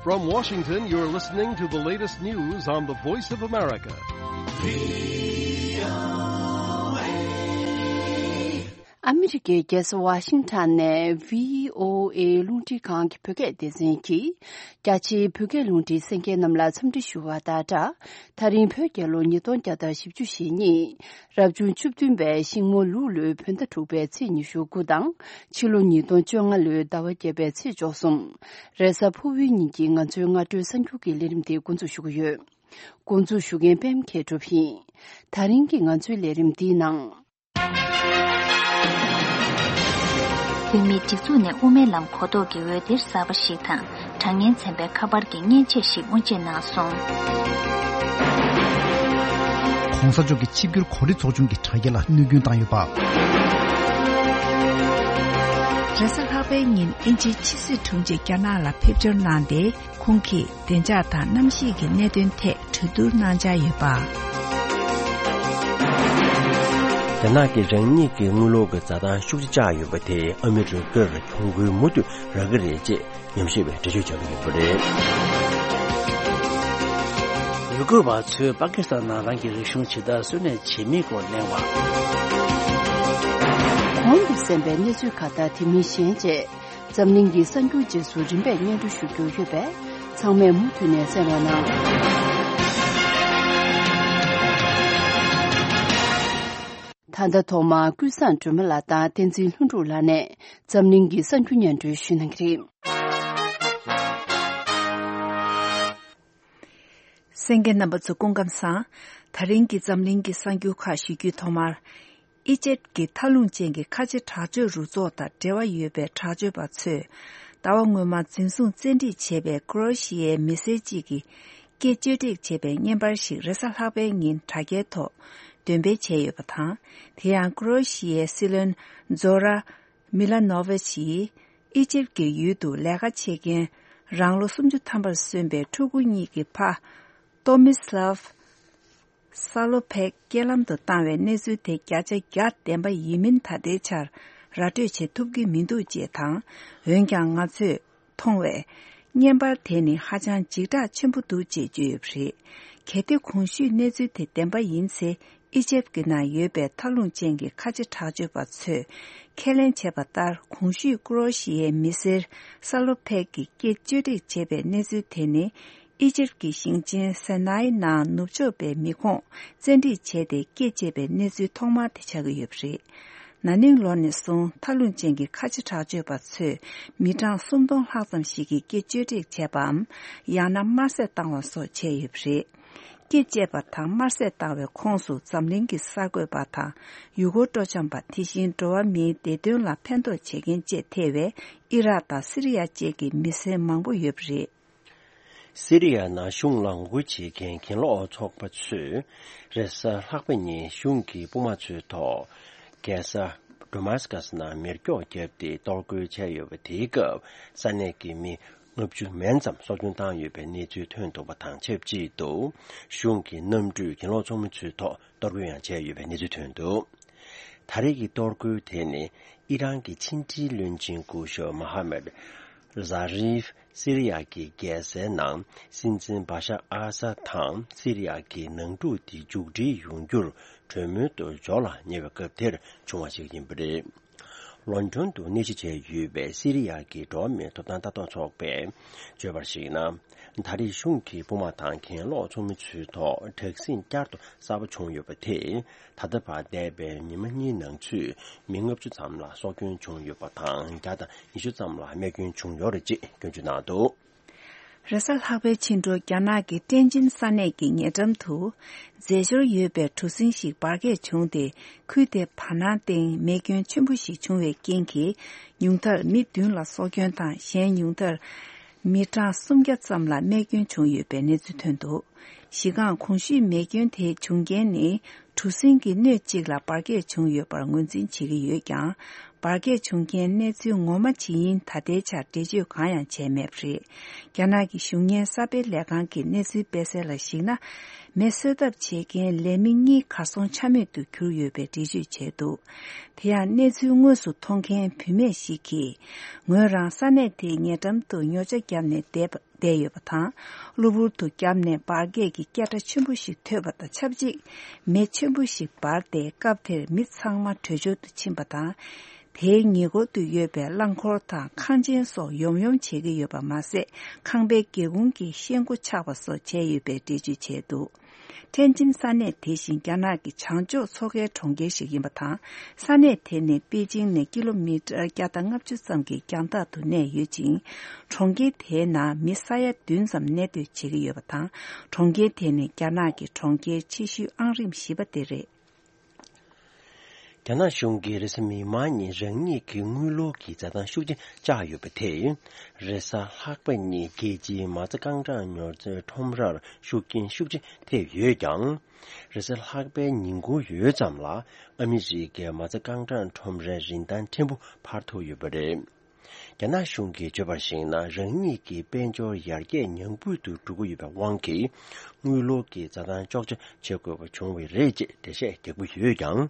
From Washington, you're listening to the latest news on the Voice of America. 아메리게 게스 워싱턴의 VOA 룽티 강기 벽에 대신기 자치 벽에 룽티 생계 남라 섬지슈와다다 다른 벽에로 니돈자다 십주시니 랍준 춥든베 식모 루르 편다 두베 치니슈구당 칠로 니돈 정알르 다와게베 치조숨 레사 포위니기 간주가 두 선교기 리림데 군주슈구여 군주슈겐 뱀케 조피 다른 기간주 리림디낭 Pimi Tizune Umelam Kodo Gewedir Sabashitan, Tangen Sembe Kabargi Nicheshi Unchenason. 공사족의 집결 거리 조중기 차이라 누군 당유바. 레사하베인 인지 치스 통제 캐나라 펩전란데 공기 된자다 남시기 내된테 주두 난자유바. 나게 정리기 물로가 자다 휴지자유 버테 아메리카 총구 모두 라그레제 염시베 저주점이 버레如果把这巴基斯坦那个凶器的孙子前面过来话공부센베 내주카다 티미신제 점링기 선교지 수준배 년도 수교회배 상매 무튼의 세로나 탄다 토마 구산 주물라다 텐진 훈루라네 점링기 선주년도 쉬는 그림 생계 넘버 공감사 다른기 점링기 상교카 시규 토마 이제기 탈lun쟁기 카지 자주 루조다 대화 유배 자주 받츠 다왕무마 진송 젠디 제배 크로시의 메시지기 게주릭 제배 년발식 레사하베인 타게토 Dönbe Cheyubata, Tian Crochie Silen Zora Milanovici, Egypt ge yudu Laga Chegen, Ranglo Sumju Tambal Sunbe, Tuguniki Pa, Tomislav Salopek, Gelam the Tanwe Nezu te Gaja Gat Demba Yimin Tadechar, Ratu Che Tubgi Mindu Jetang, Wengang Ngazu, Tongwe, Nyembar Teni Hajan Jigda Chimpudu Jejuyupri, Kete Kongshu Nezu te Demba Yinse, 이집기나 예배 탈lun쟁기 카지 타주바츠 켈렌 제바달 공시 그로시의 미셀 살로페기 깨주리 제배 내주테니 이집기 신진 사나이나 누초베 미콩 젠디 제대 깨제배 내주 통마 대책의 없이 나닝론에서 탈lun쟁기 카지 타주바츠 미장 순동 학점식이 깨주리 제밤 야나 마세 땅원소 제입시 Kijebatang Marsetawe Konsu Zamlingi Sagwebata, Yugo Dojamba Tishin Doa Mi Dedun La Pendo Chegin Jetewe, Irata Syria Jegi Mise Mangbu Yubri. Syria na Shunglang Wuchi Ken Lo Chok Patsu, Resa Hakbeni Shunki Bumachu To, Gesa Damascus na Mirko Jebdi Dolgu Chayo Tigo, Saneki Mi. ngabju menjam sojun tang yu be ni ju tön to batang chep ji do shung ki nam ju kin lo chom chu to dor yang che yu be ni ju tön do tarigi dor gu te ni iran ki chinji lön jin gu sho mohammed zarif syria ki gese nang sinjin basha asa tang syria ki nang du di ju ji yung gyur chömö to jola ne be ge ter chungwa ji yin bre London to niche yube Syria ki domme to tan ta to chokbe jebarshina 다리 슝키 부마탄 켄로 좀 추도 택신 짜도 사부 총유버티 다드바 대베 니만이 능취 민업주 잠라 소균 총유버탄 자다 이슈 잠라 매균 총요르지 근주나도 Resal Habe Chinro Gyanagi Tenjin Saneki Nyedamtu, Zezur Yube Tusinshi Barge Chungde, Kude Panading, Megun Chimbushi Chungwe Genki, Yungtar Midun La Sogyon Tan, Shen Yungtar, Mitra Sumgyat Samla Megun Chung Yube Nezutundu, Shigan Kongshi Megun Te Chungeni, Tusingi Nechigla Barge Chung Yubar Ngunzin Chigi Yugyang, barge chunggen nezu ngoma chiin tadecha deju kaya chemepri kyanagi shungye sabe legang ki nezu besela shina mesodap chegen lemingi kasong chame tu kyuyobe deju chedu thea nezu ngosu tongken pime shiki ngorang sane te nyedam tu nyoja gyamne 대여부터 루부르도 깜네 바게기 깨다 춘부식 퇴버다 찹지 매 춘부식 바데 갑테 밑상마 퇴조도 침바다 대행이고도 예배 랑코르타 칸진소 용용 제게 여바 마세 강백계군기 시행구 차버서 제유배 대주 제도 텐진산의 대신 견학이 창조 속의 종계식이부터 산의 대내 베이징 4km 야당압주성기 견다도 내 유진 종계 대나 미사야 둔섬 내도 지기여부터 종계 대내 견학이 종계 치슈 안림 시바데레 Gyana shungi resmi mani rengi ki ngulo ki zadan shukji jayu bete, resa lakba ni geji maza gangzhan nyorze tomrar shukin shukji te yue gyang, resa lakba ningu yue zamla, amiri ge maza gangzhan tomrar rindan tenpu parto yu bere. Gyana shungi jobar shingna rengi ki benjo yarge nyingbu tu dugu yu ba wangki, ngulo ki zadan chokche chego chungwe reje deshe debu yue gyang,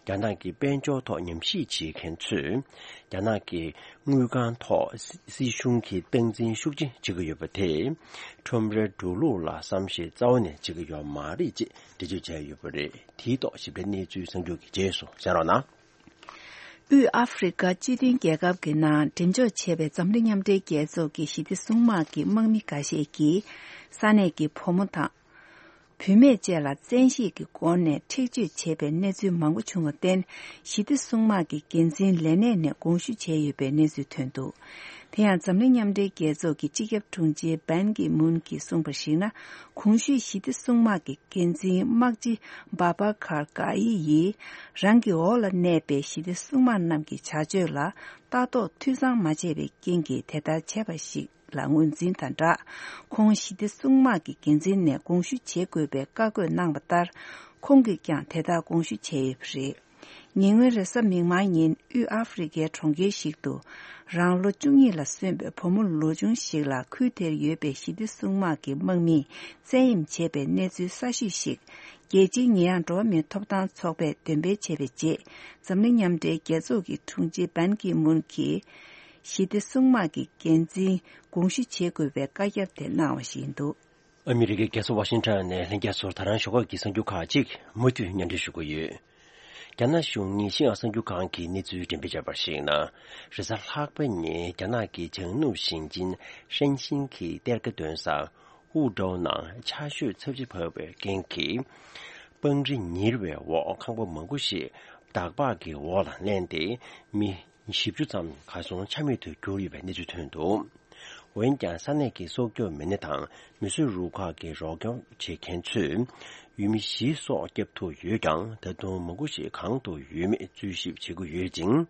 gyana ki benjo to nyamshi chi kenchu, gyana ki ngugan to si shungi tengzin shukji jiga yu bate, chomre dulu la samshi zawane jiga yu mari ji deju jaya yu bere, tido shibre nizu sengju ki jesu, sarona. 우 아프리카 지딘 개갑기나 덴조 체베 점링염대 계속이 시디 숭마기 먹미가시기 산에기 포무타 비메제라 젠시기 권내 특주 체베 내주 망고 중어된 시디 숭마기 겐진 레네네 공슈 제유베 내주 튼도 대한 점링염대 계속이 지겹 통지 반기 문기 송버시나 공슈 시디 숭마기 겐진 막지 바바카르가이 랑기 올라 네베 시디 숭만 남기 자주라 따도 투상 마제베 겐기 대다 제바시 랑운진 단다 공시디 숭마기 겐진네 공슈 제고베 까고 낭바다 공기경 대다 공슈 제입시 닝외에서 민마인 유 아프리카 총계식도 랑로 중이라 선배 포물로 중식라 크테 예배 시디 숭마기 먹미 제임 제배 내주 사시식 예진이양 도면 톱단 속배 된배 제배지 점능염대 계속이 통지 반기 문기 시디 숭마기 겐지 공시 제고배 가격대 나오신도 아메리카 계속 워싱턴에 행계소 다른 쇼가 기성교카직 모두 년대시고요. gyana shungni xing asang yu kaan ki ni zuyu jimbi jabar xing na, risa lakba ni gyana ki chengnu xing jin shen xing ki derga dun sa, wu zhou nang cha shu cebji pewe gen ki, beng ri nirwe wo kangbo mungu xi, dakba ki wo lan len di, mi shibju zam ka song chami tu gyuri we ni zu tun du. wen jian sanai ki sokyo mene tang, mi su ru ka ki rogyo che ken chu, 유미 시소 겹토 유강 대도 먹고시 강도 유미 주십 지구 유진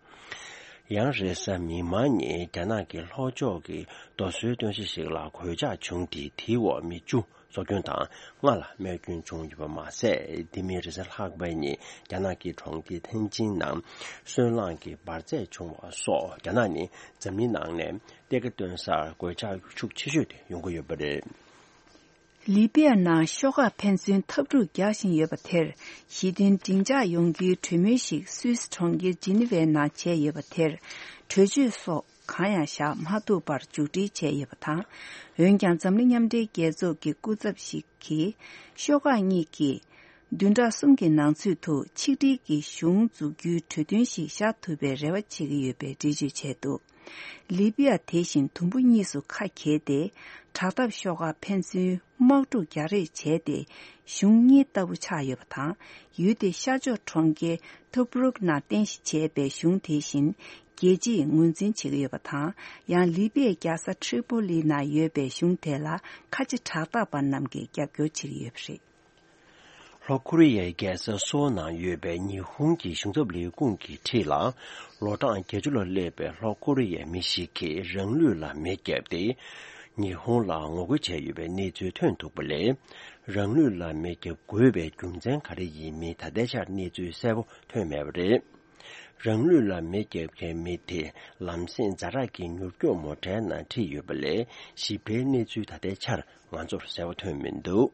양르사 미만이 자나기 로조기 도스도시식라 고자 중디 티워 미주 소견당 말라 매균 중유바 마세 디미르스 학바니 자나기 총디 텐진남 순랑기 바제 중와소 자나니 점민낭네 대거든사 고자 축치슈데 용고여버레 리비아나 쇼가 펜션 탑루 야신 여바텔 시딘 딩자 용기 투메식 스위스 총기 지니베나 제 여바텔 퇴주소 가야샤 마두바 주디 제 여바타 연장 점링염대 계속기 꾸접시키 쇼가 니기 둔다 숨기 낭수토 치디기 슝주규 퇴든시 샤투베 레와치기 여베 디지 제도 리비아 대신 동분이수 카케데 자답쇼가 펜스 먹도 자리 제대 슝이 따부 차여부터 유대 샤조 총계 토브룩나 댄시 제배 슝 대신 계지 문진 지여부터 양 리비아 가사 트리폴리나 예배 슝텔라 같이 자답반 남게 격교 지여시 로코리아에서 소나 예배 일본기 슝접리 공기 티라 로당 계주로 레베 로코리아 미시키 릉류라 메게데 일본라 오고체 예배 니주 튼도블레 릉류라 메게 고베 중전 가리 이미 다대샤 니주 세부 퇴메브레 랑루라 메게케 메테 람신 자라기 뉴교 모테나 티유블레 시베니 주다데 차르 완조 세워트면도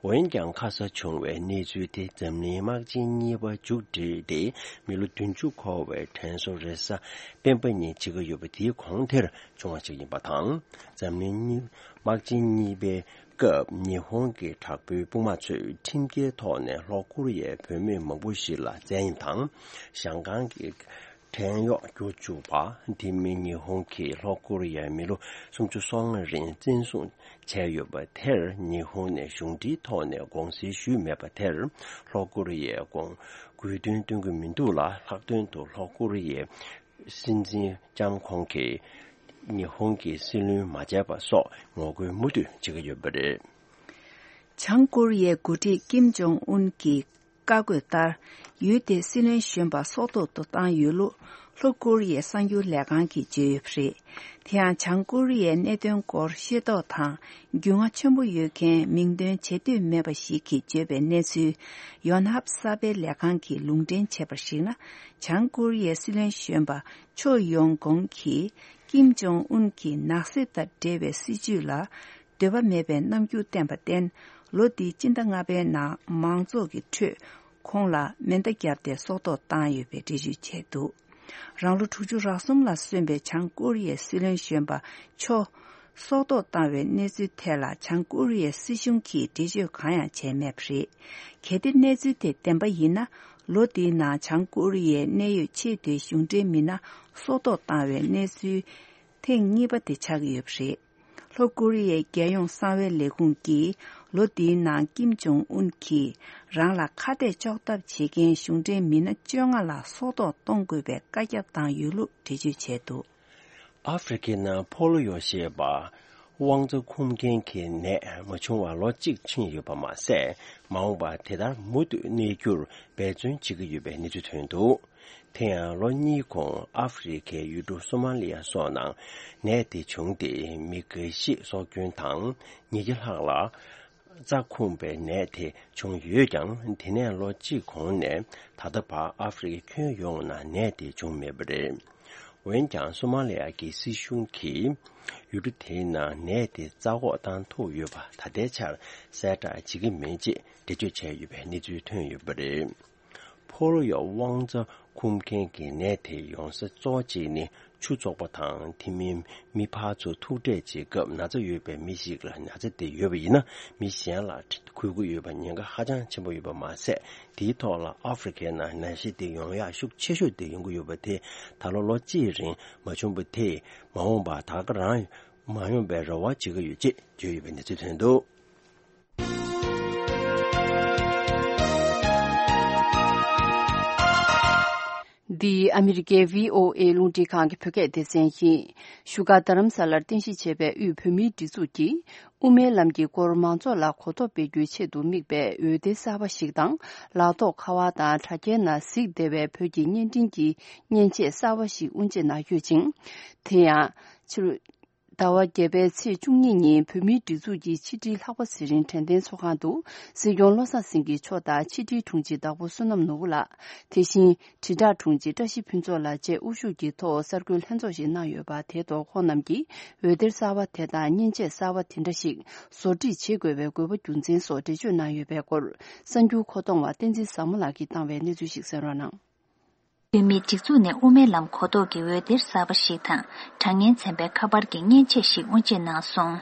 원경 가서 총회 내주대 점리막진이와 주디데 밀루tun주코웨 텐소레사 뱀번이 지금 요부디 공태를 종합적인 바탕 점리 막진이베 급 일본계 작부 부마츠 팀계 토네 로쿠리에 변매 먹부시라 전당香港계天耀主把地名일본계 로쿠리에 미로 송주성의 진송 제유바 텔 일본의兄弟 토네 공司 슈메바 텔 로쿠리에 공 구든등의 민도라 학된도 로쿠리에 신진 장콩계 일본계 실루 맞아봐서 뭐그 모두 지금 요번에 장코리의 구티 김정은기 까고다 유대 신의宣바 소도도 땅 유로 로코리의 상유 레간기 제프리 태안 장코리의 내던 거 시도타 경화 전부 유케 민된 제대 매바시기 제베 내수 연합사베 레간기 룽된 제버시나 장코리의 신의 宣바 초용공기 김정은기 낙세다 데베 시주라 데바 메베 남규 템바텐 로디 진당아베 나 망조기 트콩라 멘데기아데 소도 땅유베 디주체도 랑루 투주라솜라 스벤베 장코리의 실현 宣바 초 소도 땅웨 네즈텔라 장코리의 시슝키 디주 가야 제메프리 게디 네즈테 템바이나 로디나 장코리의 내유 체대 슝제미나 소도 땅웨 네즈 탱니바데 차기엽시 로코리의 개용 사회 레군기 로디나 김정은키 랑라 카데 적답 지겐 슝제 미나 정알라 소도 동급에 까겼당 유루 디주체도 아프리카나 폴로요시바 왕저 콤겐케 네 뭐총와 로직 친유바마세 마오바 대달 모두 네규 배준 지구유베 니주트도 태양 로니공 아프리카 유도 소말리아 소낭 네디 총디 미그시 소균당 니길하라 자콤베 네티 총유장 디네로 지공네 다더바 아프리카 교용나 네디 종메브레 원장 소말리아기 시슝키 유르테나 네디 자고단 토유바 다대차 세다 지금 메지 대주체유베 니주튼유브레 포로요 왕저 쿰켄기 네티 용서 조지니 추조바탕 팀민 미파조 투대지급 나저 유베 미식을 나저 대유베이나 미시안라 구구 유반인가 하장 전부 유바 마세 디토라 아프리카나 나시디 용야 숙 체슈디 연구 유바테 달로로 지rin 마춤부테 마옹바 다그랑 마용베로와 지그 유지 주유벤데 주텐도 The American VOA Lunti Kang Phuket Desenhi Shuga Dharam Salar Tinshi Chebe U Phumi Disuki Ume Lamgi Kormanzo La Khoto Pe Gyu Che Du Mikbe Ude Saba Shikdang La To Khawa Da Thake Na Sik Debe Phögi Nyen Dinggi Nyen Che Saba Shik Unje Na Yujing Thea Chru 다와 개베치 중년이 범위 뒤주기 치디 하고 시린 텐덴 소간도 세용로사 생기 초다 치디 통지다고 수놈 노라 대신 지다 통지 다시 핀조라 제 우슈기 더 서클 현조시 나여바 대도 호남기 외들사와 대다 년제 사와 텐더식 소지 제괴외 고부 준진 소지 나여베골 선주 고동과 덴지 사물라기 당외 내주식 서라나 Pimi tikzu ne ume lam kodo ge wedir sabashi tang, changen tsembe kabar ge nyen che shik unje na song.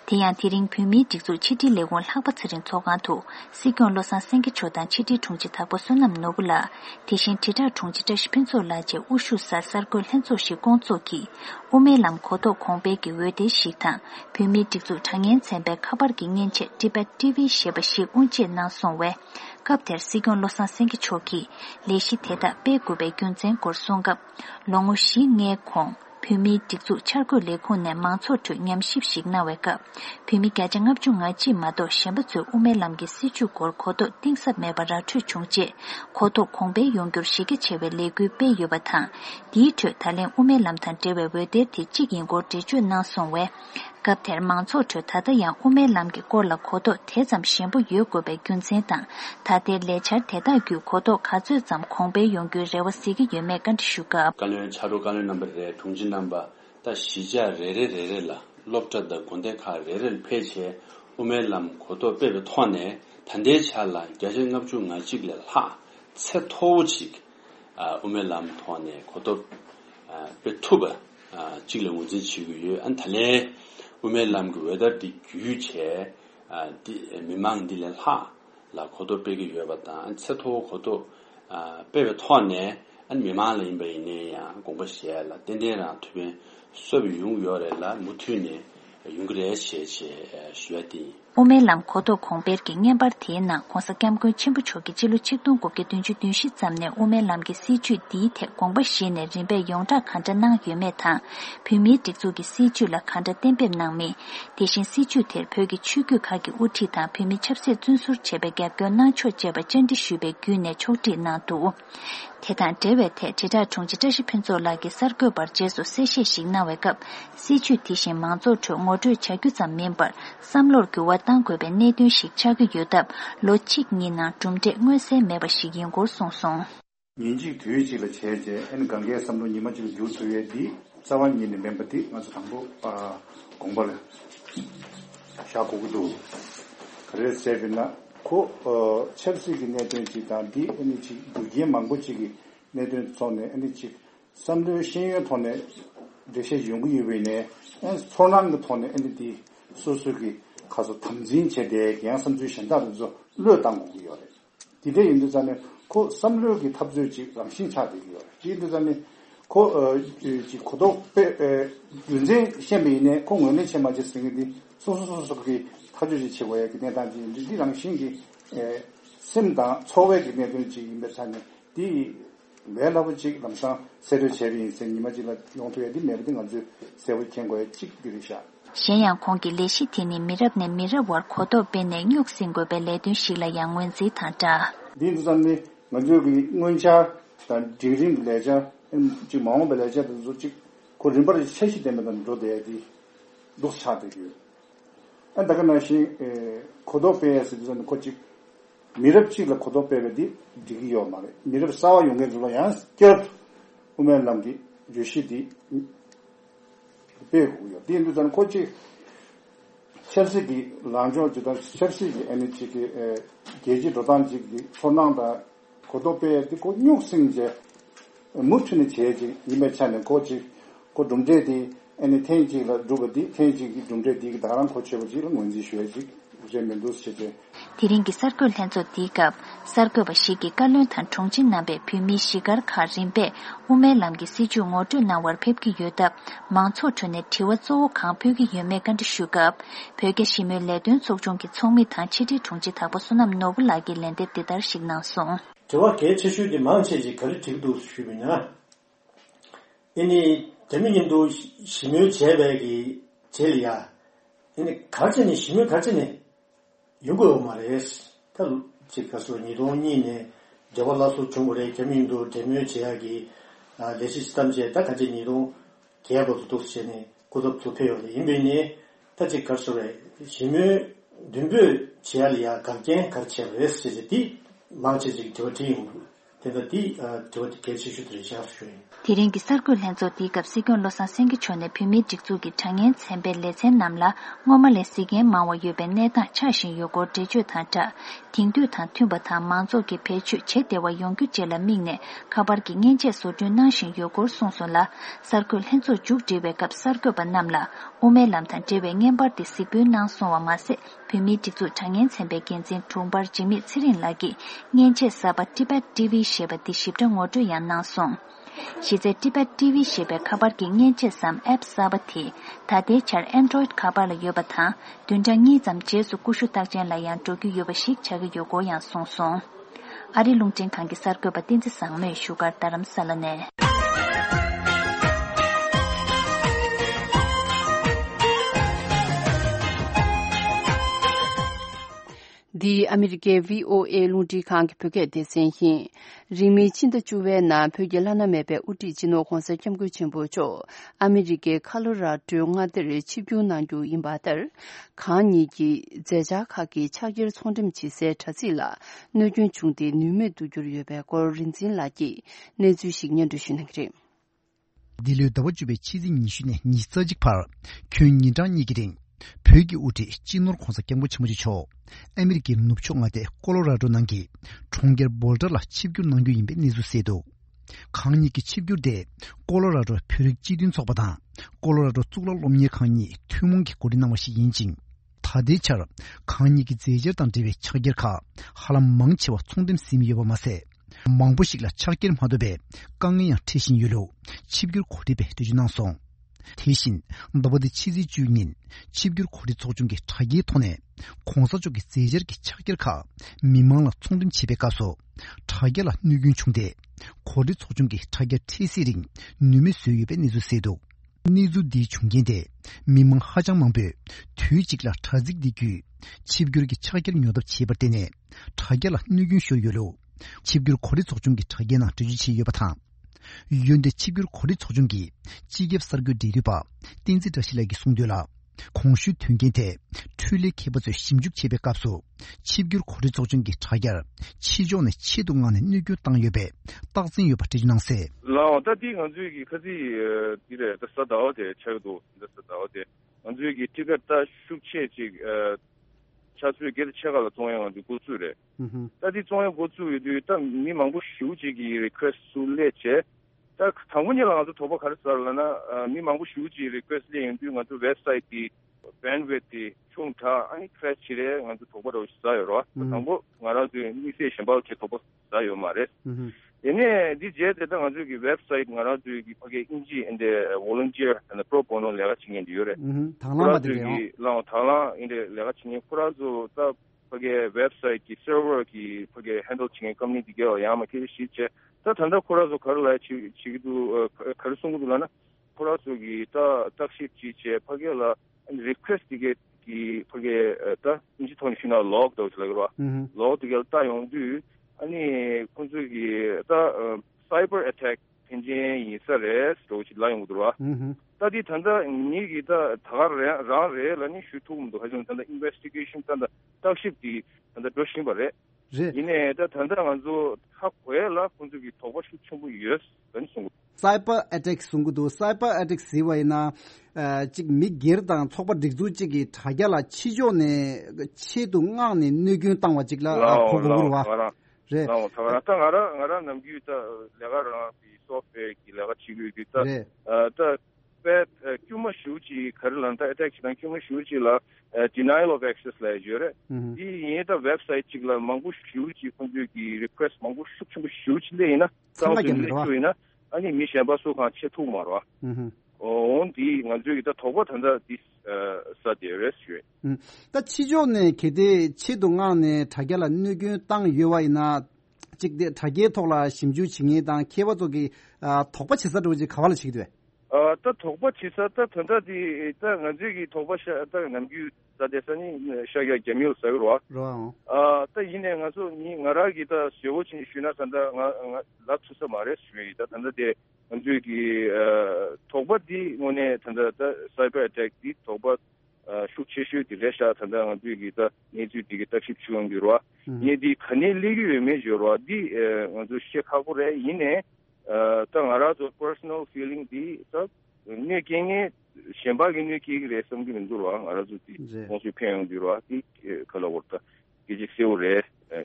Tiyan tiring pimi tikzu chiti legon lakba tsirin tsogantu, sikyon losan sengi chodan chiti chungji tabo sunam nogula, tishin tita chungji ta shipinzo la je ushu sa sargol henzo shi gongzo ki, ume lam kodo kongbe ge wedir shik tang, pimi tikzu changen tsembe kabar ge nyen che Tibet TV sheba shik unje na song we, kapter sigon losan sengi choki leshi theda pe gube gyunzen kor songap longu shi nge khong phimi tikzu chargo lekho ne mangcho tu nyam ship shik na weka phimi ka jangap chu nga chi ma do shamba chu ume lamgi sichu kor khodo tingsap me bara chu chungje khodo khongbe yonggyur shige chewe legu pe yobatha di chu thalen ume lam than tewe we de ti chigin go te chu na songwe kapter mangcho chu thada yang ume lam ki korla khodo thezam shembu yogo be gyunsen ta thade lechar theda gyu khodo khazu zam khongbe yonggu rewasi gi yeme kan shuka kalön charu kalön number re tungjin number ta shija re la lopta da gonde kha re peche ume lam khodo be thone 단대 차라 개정업 중 아직을 하 세토직 우메 람 토네 고도 베투바 지금 문제 지구에 안탈레 우메 람 그외다디 규체 미망딜 하라 고도 베기 여봤다 세토 고도 베베 토네 안 미망을 인베네야 공부시야라 덴데라 투베 수업이 용요래라 무튜네 용그레 시에 쉬어디 오멜람 코도 공베르기 녜바르티나 콘사캠고 침부초기 지루 칙동고게 든주 든시 잠네 오멜람기 시주 디테 공부시네 림베 용자 칸자낭 유메타 비미 틱조기 시주라 칸자 템뱀낭미 대신 시주 텔표기 추규가기 우티타 비미 첩세 준수 제베게 변나초 제베 젠디 슈베 규네 초티나도 대단 대외태 제자 총지저시 편조라기 서거 버제소 세시식나웨급 시주 디신 망조 총어주 체규자 멤버 삼로르기 와탄고베 내dun식 차기 요답 로칙니나 좀데 응외세 매버시긴 고송송 인지 뒤지를 제제 엔 관계 삼로 니마지 요소에디 자완니네 멤버디 맞아 당부 공부를 샤고도 그래서 제비나 코 첼시기 내든지다디 에니지 두게 망고치기 내든 손에 에니지 삼류 신유 돈에 대세 용구유베네 엔 소난 돈에 에니디 소수기 가서 탐진 제대 그냥 선주 신다도 르당고요. 디데 인도자네 코 삼류기 탑주지 신차되기요. 디인도자네 코 고도 윤제 시험이네 공원의 시험하지 생기디 소소소소기 타주지 최고의 그냥 단지 리랑 신기 심다 초회기 내든지 임배산에 디 매라부지 감상 세르 제비 인생님아지가 용도에 디 매든 아주 세월 ken고의 찍들이샤 신양 공기 레시티니 미럽네 미러월 코도 베네 육신고 벨레든 실라 양원지 타자 디즈산니 먼저기 응원차 단 디링 레자 지 마음 벨레자도 조직 고림버리 셋이 되면 로데디 녹차되기 안다가나시 코도페에서 좀 코치 미럽치가 코도페베디 디기요 말에 미럽 싸와 용게 줄어야 겨 오면 남기 주시디 배고요. 디엔도전 코치 첼시기 랑조주다 첼시기 에너지기 계지 도단지기 손낭다 고도페디 고육생제 무튼의 제지 이메차는 코치 고dum제디 에니테이지라 두거디 테이지기 dum제디 다른 코치버지를 뭔지 쉬어지 Tiringi sarkul henzo digab, sarkul bashigi kalun tan chongjin nambe pimi shigar karimbe, ume lamgi siju ngotu na war pepki yodab, mangcho chune tiwa zoo kang pyogi yume ganti shugab, pyoge shime ledun sokchongi chongmi tan chidi chongji tabo sunam nobu lagi lende didar shignan song. 저와 개체슈디 망체지 가르치기도 수비나 이니 대민님도 심유 제백이 제리야 이니 가르치니 심유 가르치니 요거 말해스 tal 지가서 니도니네 저발라서 중고래 개민도 대묘 제약이 레시스템제 딱 가진 니도 계약도 독세네 고급 조폐요네 인베니 따지 가서래 심유 든베 제알이야 강제 가르치야스 제디 망치지 저티 대다디 저티 개시슈들이 샤프슈 Tiringi sarkul henzo digab sigon losa sengi chone pimi jikzugi changen tsembe lezen namla ngoma le sigen mawa yobe neta chashin yogo deju tanta tingdu tan tumba tan manzo ki pechu che dewa yonggu jela mingne kabar ki ngenche soju nanshin yogo sonson la sarkul henzo juk dewe kap sarkul ban namla ume lam tan dewe ngenbar di sibu nang sonwa mase pimi jikzu changen tsembe genzin tumbar jimi tsirin lagi ngenche saba Tibet TV sheba di shibda ngodu yan nang son Shize Tibet TV shebe kabar ki ngenche sam app sabati tade char Android kabar la yobata dunjang ni zam jesu kushu takjen la yang jogu yobashik chag yogo yang song song ari lungchen kangi sarko batin se sangme sugar taram salane The American VOA Lundi Kang Phuket Desenhin Rimi Chinda Chuve na Pyogelana Mebe Uti Jino Khonsa Kyamgu Chimbocho, Amerike Colorado Ngadere Chibyu Nangu Imbatar, Kani Ki Zeja Kaki Chagir Sondim Chise Tazila, Nujun Chungdi Nume Dujuryobe Gor Rinzin Laki, Nezu Shignan Dushinagri. Dilu Dawajube Chizi Nishune Nisajik Par, Kyun Nidan Nigirin, Pyoge Uti Jinur Khonsa Kyamgu Chimbocho, Amerike Nupchongade Colorado Nangi, Chonger Boulder La Chibyu Nangu Imbe Nezu Sedo. 강니기 칩규대 콜로라도 표릭 지딘 속보다 콜로라도 쭈글로 롬니 강니 튜몽기 고리나머시 인징 다대처럼 강니기 제저단 대비 처결카 하람 망치와 총됨 심이여버마세 망부식라 차길 마도베 강이야 태신 유로 칩규 고리베 되주나송 대신 너버드 치지 주인 칩규 고리 조중기 차기 통해 공사족이 제저기 차결카 미망라 총됨 집에 가서 차결라 누균 총대 고리 소중기 타겟 티시링 누미 수입에 니주세도 니주디 중견대 미망 하장망배 뒤직라 타직디규 집규르기 차결 묘도 치버때네 타결라 누균 쇼요로 집규르 고리 소중기 타겟나 뒤지치 여바타 유연대 집규르 고리 소중기 지겹 설교 디리바 띵지 더실라기 송되라 공슈 튕긴대 툴리 케버즈 심죽 제백값수 칩규 고리 조정기 차결 치존의 치동안의 누교 땅여배 딱진 여바티진앙세 라다디 간주기 커지 디레 더서다오데 차도 더서다오데 간주기 티가다 슈체지 차수에 게르 차가가 동양한테 고수래 다디 동양 고수도 딱 미망부 슈지기 리퀘스트레체 딱 당분이랑 아주 도박 가르쳐라나 미망부 슈지 리퀘스트 연구가 또 웹사이트 bandwidth 총타 아니 크래치래 아주 도박으로 있어요. 당부 말아도 미세 შემ바우 도박 있어요 말에. 얘네 디제데 아주 그 웹사이트 말아도 이 거기 인지 인데 volunteer and pro bono 내가 진행이요래. 당라마들이요. 라 당라 인데 내가 진행 프라조 딱 거기 웹사이트 서버 기 거기 핸들 진행 커뮤니티가 야마키 시체 다 단다 코라조 걸라 지기도 가르송도라나 코라조기 다 딱시 지체 거기라 request ki phage ta institutional log do chalagra log to ta yongdu ani kunzu ki ta cyber attack engine isare sto chila yongdura ta di thanda ni gi ta thagar ra re lani shutum do hajon tanda investigation tanda takship di tanda doshin bare ine ta thanda manzo hakwela kunzu ki thoba shuchum yes dan sung cyber attack sungdu cyber attack siwaina 직 미게르당 촉바 딕주지기 타갸라 치조네 치동안에 느균 땅와 직라 고고로와 제 나라 남기다 내가라 이 소프트웨어 기라가 치기다 다 규모 슈지 카를란다 어택시단 규모 슈지라 denial of access 라이저레 이 얘다 웹사이트 직라 망부 슈지 컨듀기 리퀘스트 망부 슈충부 슈지레이나 상하게나 아니 미샤바소가 체투 말와 온디 간주기다 토고 탄다 디스 사디레스 다 치존네 게데 치동안에 타겔라 누규 땅 유와이나 직데 타게 토라 심주 징이당 케바도기 토바 치사도지 가발을 치기도 해 또 토바 치사다 탄다디 다 간주기 토바샤 다 남규 사데서니 샤가 제미우 사그로와 또 이내 가서 니 나라기다 쇼고친 쉬나 산다 라츠서 말에 쉬이다 탄다디 간주기 토바디 오네 탄다 사이버 어택 디 토바 슈치슈 디레샤 탄다 간주기다 니주 디기다 십추응기로와 니디 카닐리기 메조로와 디 간주 셰카고레 이내 땅 알아도 personal feeling 디 네 갱에 셴바기니 기그레 섬기는 도와 알아도 디 모수 평디로와 디 컬러워터 기직세오레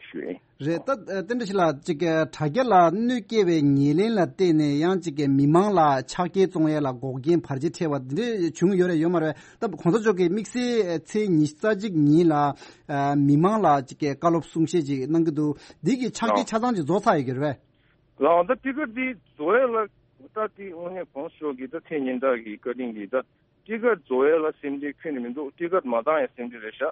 슈에 제타 텐데실라 지게 타겔라 느케베 니렌라 때네 양지게 미망라 차게 종에라 고긴 파르지테와데 중요래 요마레 다 콘서족게 믹스 체 니스타직 니라 미망라 지게 칼롭숭시지 능도 디기 차게 차단지 조사 얘기를 라운드 티거디 조엘라 우타티 오네 콘쇼기다 테닌다기 거딩기다 티거 조엘라 심디 퀸민도 티거 마다에 심디레샤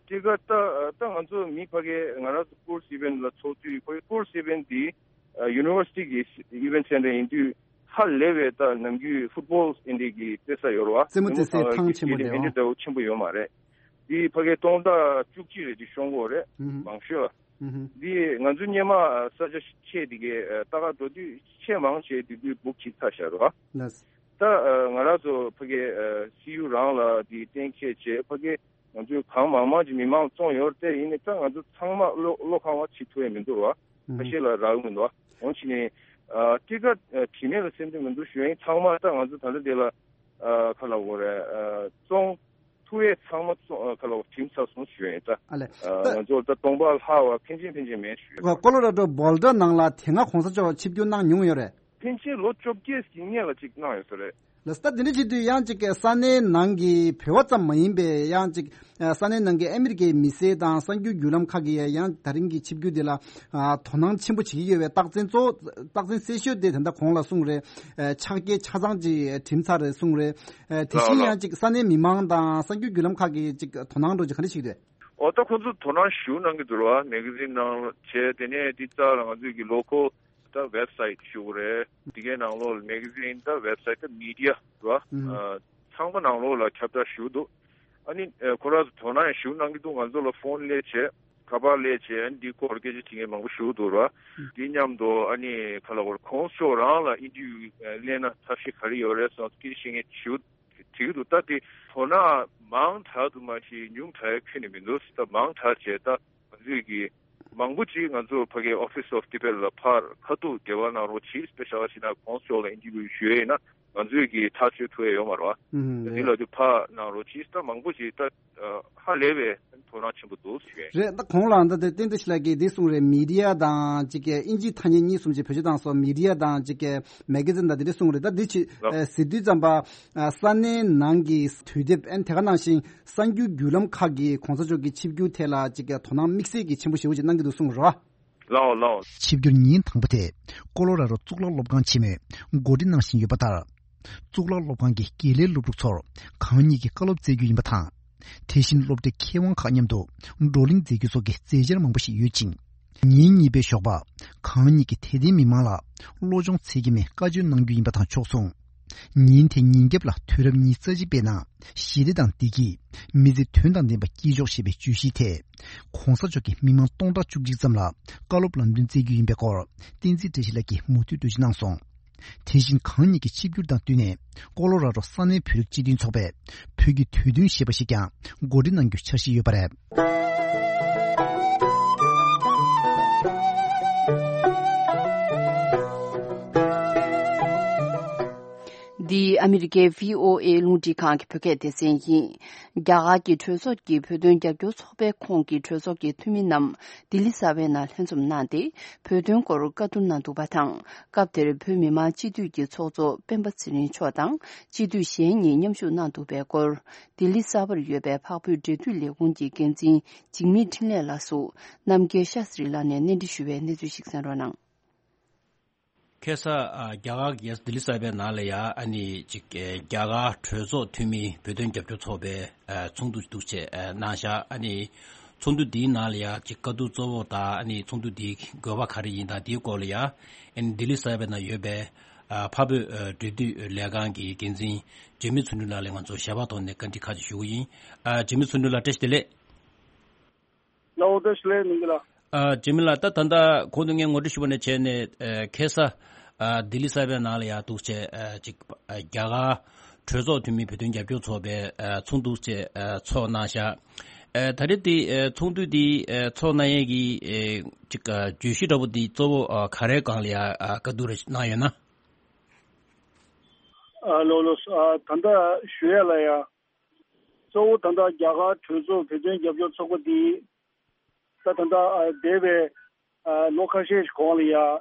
티거타 땅한조 미파게 나라스 코스 이벤트 초투이 코스 이벤트 유니버시티 이벤트 센터 인투 할 레벨다 남규 풋볼 인디기 데사요로와 세무테세 탕치모데요 인디도 침부요 말에 이 파게 동다 쭉지리 디 쇼고레 방쇼 디 간주니마 사저 체디게 따가 도디 체망 체디디 북치타샤로 다 나라도 그게 시우랑라 디 땡케체 그게 먼저 강마마지 미망 종요 때 이네 땅아도 창마 로카와 치투에 민도와 사실라 라우문도 원치니这个体面的身份都选长嘛当然是他的了看了我的中土也长嘛看了警察从选的做的东北好啊平均没选我过了都保的能了听啊红色叫七就能用有嘞平均落脚给新年了这那有的嘞Lasta dini chidu yang chike sanay nangi pewa tsam mayinbe yang chik sanay nangi Amerike mise dan sangyu yulam kagi yang daringi chibgyu de la tonang chimbu chigiwe takzen sesho de tanda kongla sungre chakye chazangji timsare sungre 대신 yang chik sanay mimang dan sangyu yulam kagi chik tonang roji khani chigde 어떤 것도 돈안 쉬우는 게 들어와 매거진 나 제대네 디자랑 아주 이 로컬 더 웹사이트 쇼래 디게 나올 매거진 더 웹사이트 미디어 와 상관 나올라 캡터 쇼도 아니 코라스 돈안 쉬우는 게도 완전로 폰 레체 가발 레체 디 코르게지 팅에 망고 쇼도라 디냠도 아니 칼라고 콘소라라 이디 레나 사시 카리오레서 키싱에 쇼 지금도 따디 토나 망타도 마시 뉴타에 퀴니민도 스타 망타제다 저기 망부지 간조 파게 오피스 오브 디벨로퍼 카도 개원하러 치 스페셜시나 콘솔 인디비주 쉐나 간조기 타치 투에 요마로 일로도 파 나로 치스타 망부지 따 할레베 토나 친구도 쉐 제 콩란다 데 땡데실라게 디송레 미디어다 지게 인지 타니니 숨지 표지당서 미디어다 지게 매거진다 디송레다 디치 시디 잠바 산네 난기 스튜디브 엔테가나신 상규 귤럼 카기 콘서조기 칩규 텔라 지게 토나 믹스기 침부시 오지 난기도 송으로 라오 칩규닌 당부테 콜로라로 쭉러 롭간 치메 고딘낭신 유바다 쭉러 롭간기 길레 롭룩처 강니기 칼롭 제규 임바타 대신 롭데 케원 가념도 롤링 제규 속에 제절 망부시 유진 니니베 쇼바 강니기 테디 미마라 로종 책임에 까준 능규 임바타 촉송 닌테 닌geb라 퇴럽니 서지베나 시리당 디기 미지 튼당데 바 기족시베 주시테 콩서적이 미망 동다 죽직점라 깔롭란빈 제규 임베거 딘지 되실라기 모두 되지낭송 대신 강니기 집규당 뒤에 콜로라도 산의 표적지딘 속에 표기 퇴든 시버시가 고리는 규처시 유발해 The American VOA Lundi Kang Phuket Desenyi Gyaga ki Thosok ki Phödön Gyagyo Sobe Khong ki Thosok ki Thuminam Dilisabe na Hensum Nande Phödön Kor Katun Nandu Batang Kapter Phömima Chidu ki Chozo Pembatsini Chodang Chidu Shenyi Nyamshu Nandu Bekor Dilisaber Yebe Phapyu Dedu Legunji Genjin Jingmi Thinle Lasu Namge Shasri Lane Nendishuwe Nedu Shiksanronang Kesa gyaga yes dilisabe nalaya ani jik gyaga trezo tumi bedon japjo chobe chungdu duche nasha ani chungdu di nalaya jikadu zobo da ani chungdu di goba khari inda di kolya en dilisabe na yebe pabu dedu legangi genjin jemi chunula lengan zo shabaton ne kanti khaji shuyi jemi chunula testele law desle ningla jimila ta tanda kodunge ngodi shibone chene kesa dilisabe nalaya tuche jik gyaga trezo tumi bedun japjo chobe chungduche cho nasha tariti chungdu di cho nayegi jik jushirabu di zobo khare kanglia kadure nayana lolos tanda shuela ya zo tanda gyaga trezo bedun japjo chogo di tanda debe lokashe konglia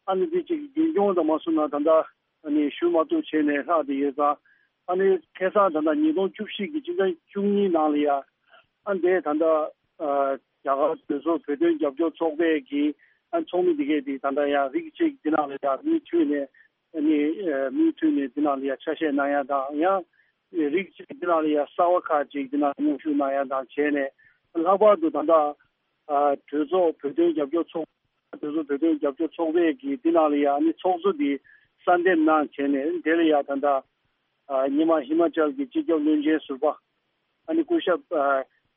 ani dichi ginjon da masuna tanda ani shumatu chene ha de yeza ani kesa tanda nidong chupshi gi jinda chungni nalia ande tanda yaga so peden jabjo chogbe gi an chongmi dige di tanda ya richi dinalia mi chune ani mi chune dinalia chashe naya da ya richi dinalia sawaka ji dinalia shu naya da chene laba do tanda 저zo peden jabjo chog 저zo peden jabjo chogbe gi dinalia ani chogzo di sanden na chene delia tanda nima himachal gi chigyo lunje suba ani kusha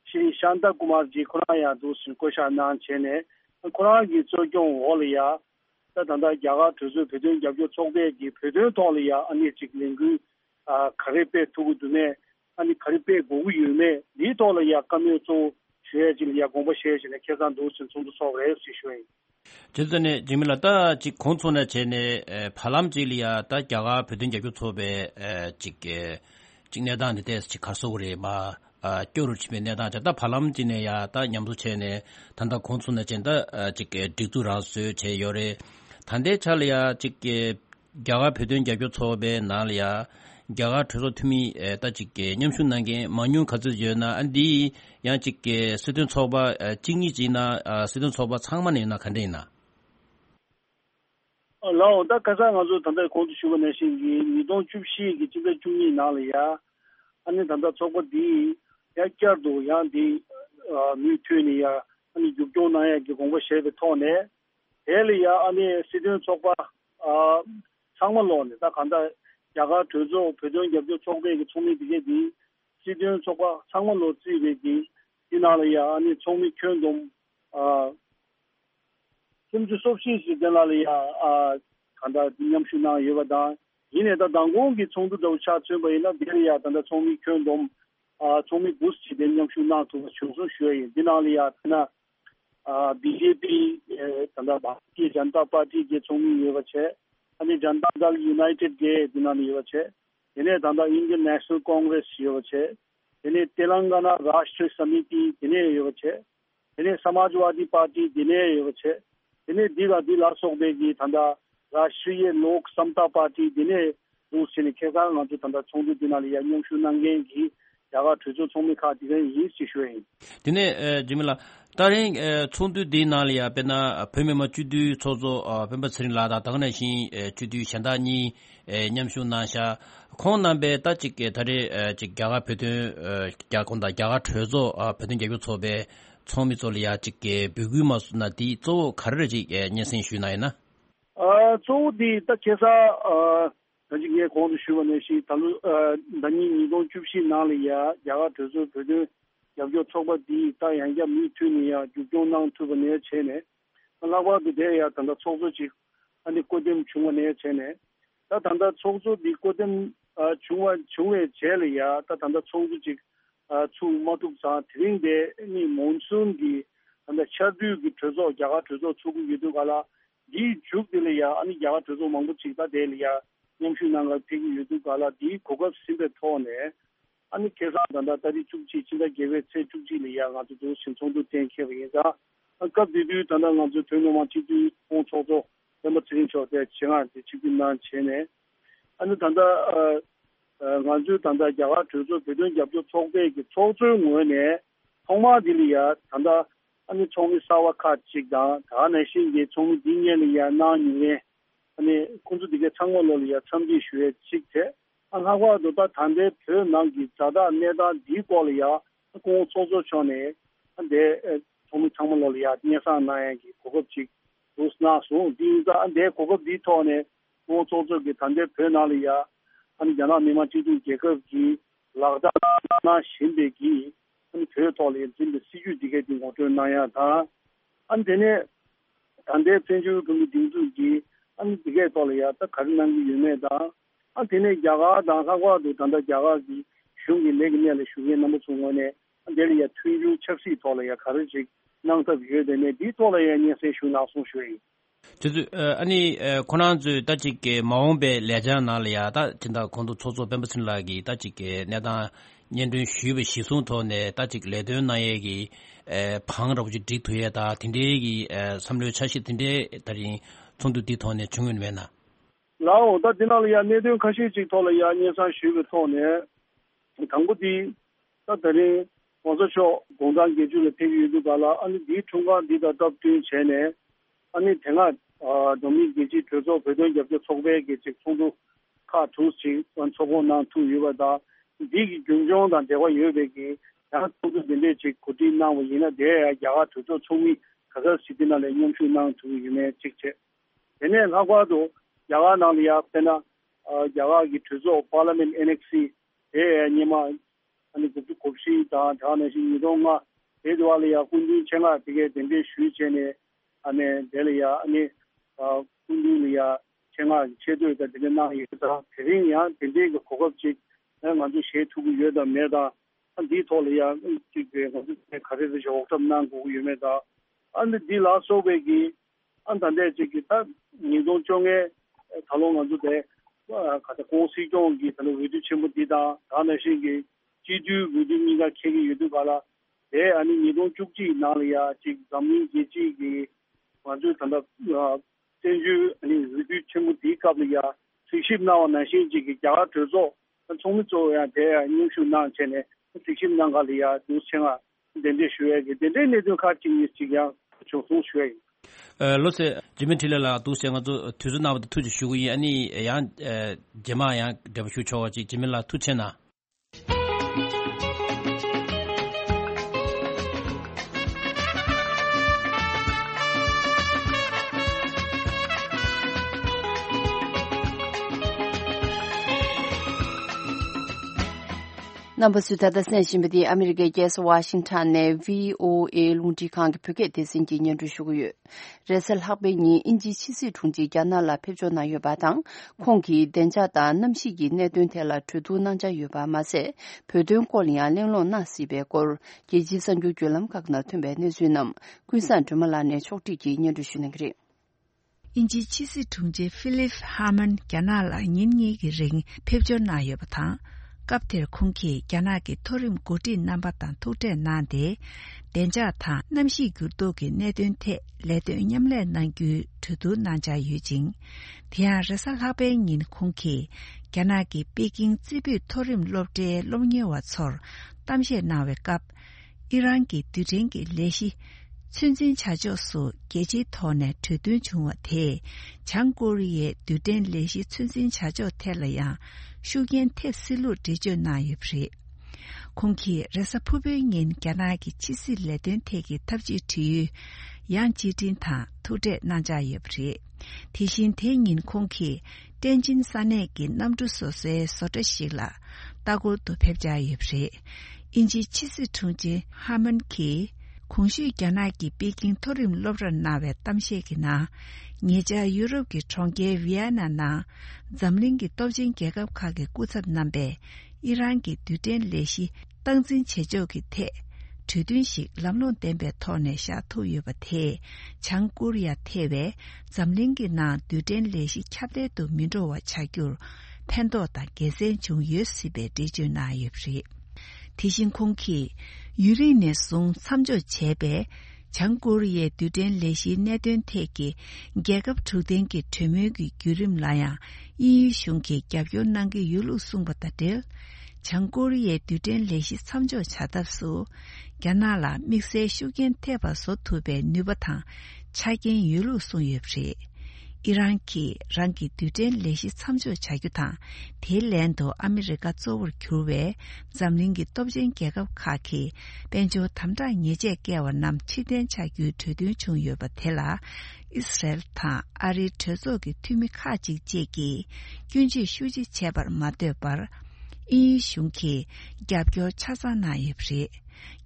Shri Shanta Kumar ji Kuraya Dusin Kosha Nan Chene, Kuragi Zogyon Olia, Tanda Yaga Tuzu Pedun Yabyo Chogbe, Pedun Tolia, and Chiklingu, Karipe Tugudune, and Karipe Guyume, Litolia Kamuto, Shejilia Gombashe, and Kazan Dusin to solve situation. 저전에 지밀라다 지 콘촌에 전에 팔람질이야 다 자가 배든 제교 초베 직게 직내단에 대해서 지 가속으로 마 교를 치면 내다 다 팔람진에야 다 냠수체네 단다 콘촌에 전다 직게 디두라스 제 열에 단대 차려야 직게 자가 배든 제교 초베 날이야 자가 투소 투미 다 직게 냠순난게 만유 가즈여나 안디 야 직게 스든 초바 징이지나 스든 초바 창만이나 간데이나老的可是我说，他在工作学那些你都去洗，这个注意哪里呀？俺他在做个地，也角度样的女推呢呀，你就叫那样就跟我写的套呢，这里呀，俺实际做个上么老呢，他看到亚个推做培养也就做个一个聪明这些地，实际做个上么老自己的地，在哪里呀？俺聪明圈中甚至说信息在哪里呀？看到今年去那有个当，今年的当工给从头到下准备那边呀，等到聪明圈中聪明不是的年去那都全是学业在哪里呀？那BJP 等到把地janता पार्टी के聪明有个车，अनि जनता दल यूनाइटेड के在哪里有个车，现在等到 Indian National Congress 有个车，现在 तेलंगाना राष्ट्रीय समिति 现在有个车，现在 समाजवादी पार्टी 现在有个车。इन्हें दिला सोबेगी तंदा राष्ट्रीय लोक समता पार्टी दिने दूसरे केगा नजु तंदा छोंदु दिनाली यांगशु नंगेगी यागा तुजो छोमी खाती है ये सिचुए दिने जिमिला तारे छोंदु दिनालिया बेना 페메 मचुदु छोजो पेम्बा छरिन लादा तगने 신 주두 샨다니 냠슈 나샤 콘남베 따직게 다리 직야가 베드 야콘다 야가 트조 베든 제교 초베 초미졸이야 직게 비규마스나디 조 가르지 년생 쉬나이나 조디 딱해서 저기에 공부 쉬원에시 달루 단니 니도 줍시 나리야 야가 저저 그저 여기 초바디 다양게 미투니야 주종낭 투번에 체네 라와도 돼야 단다 초조지 아니 고dem 중원에 체네 다 단다 초조디 고dem 중에 제리야 다 단다 초조지 주 모두사 드링데 니 몬순기 안다 샤두기 저저 야가 저저 추구 유도가라 디 죽들이야 아니 야가 저저 망부치다 데리야 님슈나가 피기 유도가라 디 고급 심베 토네 아니 계산단다 다리 죽지 진짜 계획 체 죽지리야 가지고 신청도 땡케리자 아까 비디오 단다 가지고 되는 지도 공초조 너무 진행처대 지나지 지금난 전에 아니 단다 간주 단다 야가 저저 배전 잡죠 총대기 총주원에 통마딜이야 단다 아니 총이 사와카 직다 다내신게 총이 딩년이야 나니에 아니 군주디게 창원로리야 참지슈에 직대 안하고도 다 단대 표난기 자다 내다 디콜이야 공초조 전에 근데 총이 창원로리야 니사 나야기 고급직 우스나소 디자 안데 고급 디토네 공초조게 단대 표나리야 아니 자나 미마치도 계급기 라다나 신베기 아니 표토리 진짜 시주디게 된 것도 나야다 안데네 단대 편주 그 딩주기 아니 디게 돌이야 딱 가능한 유매다 안데네 야가 다가와도 단다 야가기 슝기 내기면에 슝이 너무 좋은데 안데리야 트위주 첩시 돌이야 가르지 나한테 비교되네 디 돌이야 니세 슝나송 슈이 저도 아니 코난즈 따지게 마음배 레자나리아다 진다 콘도 초조 뱀버슨라기 따지게 내가 년도 쉬브 시송토네 따지게 레드나에기 방으로부지 디토에다 딘데기 삼류 차시 딘데 다리 총도 디토네 중요면나 라오 다 디나리아 내도 같이 디토리아 년산 쉬브 토네 당고디 다들이 먼저쇼 공장 계주를 대비도 가라 아니 디 총관 디다 답된 전에 아니 대가 도미기지 저저 배전 접촉 속배기 총도 카 투시 원초보나 투유바다 디기 중종단 대화 유배기 야 투도 지 고디나 위나 대 야가 저저 총이 가서 시디나래 용수나 투유메 직체 얘네 나과도 야가 나리아 페나 야가기 저저 파르멘트 NXC 에 니마 아니 그 곱시 다 다네시 이동아 대도알이야 군주 청아 되게 된비 수위전에 안에 데리야 아니 군주리야 청아 제도에다 되나 이거다 대행이야 된비 그 고급직 먼저 셰투고 여다 메다 디톨이야 이게 가르쳐 좀 고유메다 안데 디라소베기 안단데 지기다 니동종에 탈롱한도데 가다 공시종기 그 위드 침부디다 다네시기 지주 위드니가 케기 유두가라 에 아니 니동 죽지 나리아 지 담니 지지기 완전 단다 전주 아니 위드 침부디가블이야 수십 나와 나시지기 자가 들어서 총무조야 대 뉴슈난 전에 수십 나가리아 두생아 된데 쉬어게 된데 내도 같이 있지야 조소 쉬어 로세 지멘틸라 두생아도 투즈나부터 투지 쉬고이 아니 양 제마야 더슈초지 지멜라 투체나 Number Sutada Senshimidi America Yes Washington ne VOA Lunti Kang Phuket Desinji Nyen Shugu Resel Habeni Inji Chisi Thungji Jana la Phejo na yoba dang Khongki Denja da Namshi gi ne dun thela Thudu Nanja yoba ma se Phedun Kolya Lenglo na sibe kor Jeji Sanju Julam Kakna Thumbe ne Sunam Kuisan Tumala ne Chokti gi Nyen Shunengri Inji Chisi Thungji Philip Harmon Janala Nyingi gi ring Phejo na yoba thang kapter khungki kyanagi thorim goti nambatan thote nande denja tha namshi gurdo ge nedun the ledun nyamle nangyu thudu nanja yujing thia resal habe ngin khungki kyanagi peking tsibi thorim lobde lomnye wa chor tamshe nawe kap iran ki tuding ki leshi 춘진 차조수 계지 톤에 tudun chungwa the 장고리의 두된 레시 춘진 차조 텔러야 슈겐 탭실로 디조 나유프리 공기 레사푸베인 갸나기 치실레든 테기 탑지 뒤 양지진타 토데 나자유프리 대신 대인 공기 땡진 산에기 남주소세 소더실라 따고도 뵙자유프리 인지 치스 퉁지 하먼키 공시 견학기 베킹 토림 로브런 나베 땀시기나 예자 유럽기 총계 위안나나 잠링기 도진 개갑하게 꾸ছত 남베 이란기 두된 레시 땅진 제조기 태 주둔식 람론 댐베 토네 샤토유바테 장코리아 태베 잠링기나 두된 레시 캬데도 민로와 차규 팬도다 게센 중 유스베 디주나유프리 대신 공기 유리네 송 3조 제배 장고리의 두된 레시 내된 태기 계급 주된기 퇴묘기 규림라야 이 슝기 겹요난기 유루숭바다들 장고리의 두된 레시 3조 차답수 갸나라 믹세 슈겐 테바소 투베 뉴바탕 차긴 유루숭입시 이란키 랑키 두된 레시 3조 자규타 델랜도 아메리카 쪽을 교회 잠링기 dob진 계급 카키 벤조 탐다 예제 개와 남 치된 자규 되든 중요바 텔라 이스라엘 타 아리 저속이 투미카지 제기 균지 휴지 제발 마데발 이 슝키 갑교 차사나 예프리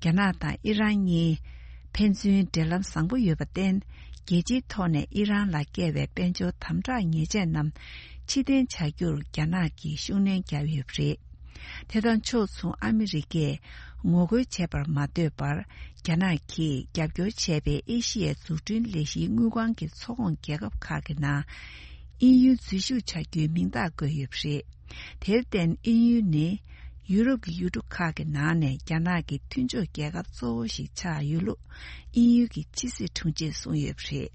캐나다 이란이 펜스윈 델람 상부 요바된 계지 톤에 이란 라케베 벤조 탐자 예제남 치된 자규를 갸나기 슈넨 갸위프리 대단 초수 아메리게 모고 제발 마데발 갸나기 갸교 제베 에시에 주준 레시 무관계 소원 계급 가게나 EU 지수 자규 민다고 예프리 대된 EU네 유럽 유독하게 나네 갸나기 튠조 계급 소시 차유로 EU기 지시 통제 소유프리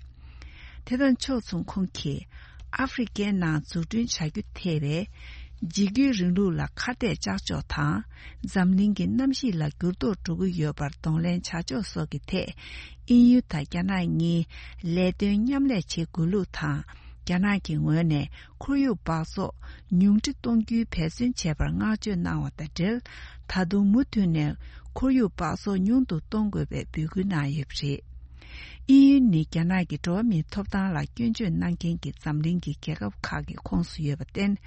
대단 초송 콩키 아프리카나 주둔 자규 테베 지기 르루라 카데 자조타 잠링기 남시라 구도 두고 여바 동렌 차조 소기테 EU 타갸나니 레든 냠레 제굴루타 갸나기 원에 코유 바소 뉴트 동규 배신 제발 ngajo 나왔다들 다도 무트네 코유 바소 뉴도 동급에 비구나 예프리 EU ni gyana gi do mi top da la gyun ju nang gen gi zamling gi ge ga kha gi khong su ye ba ten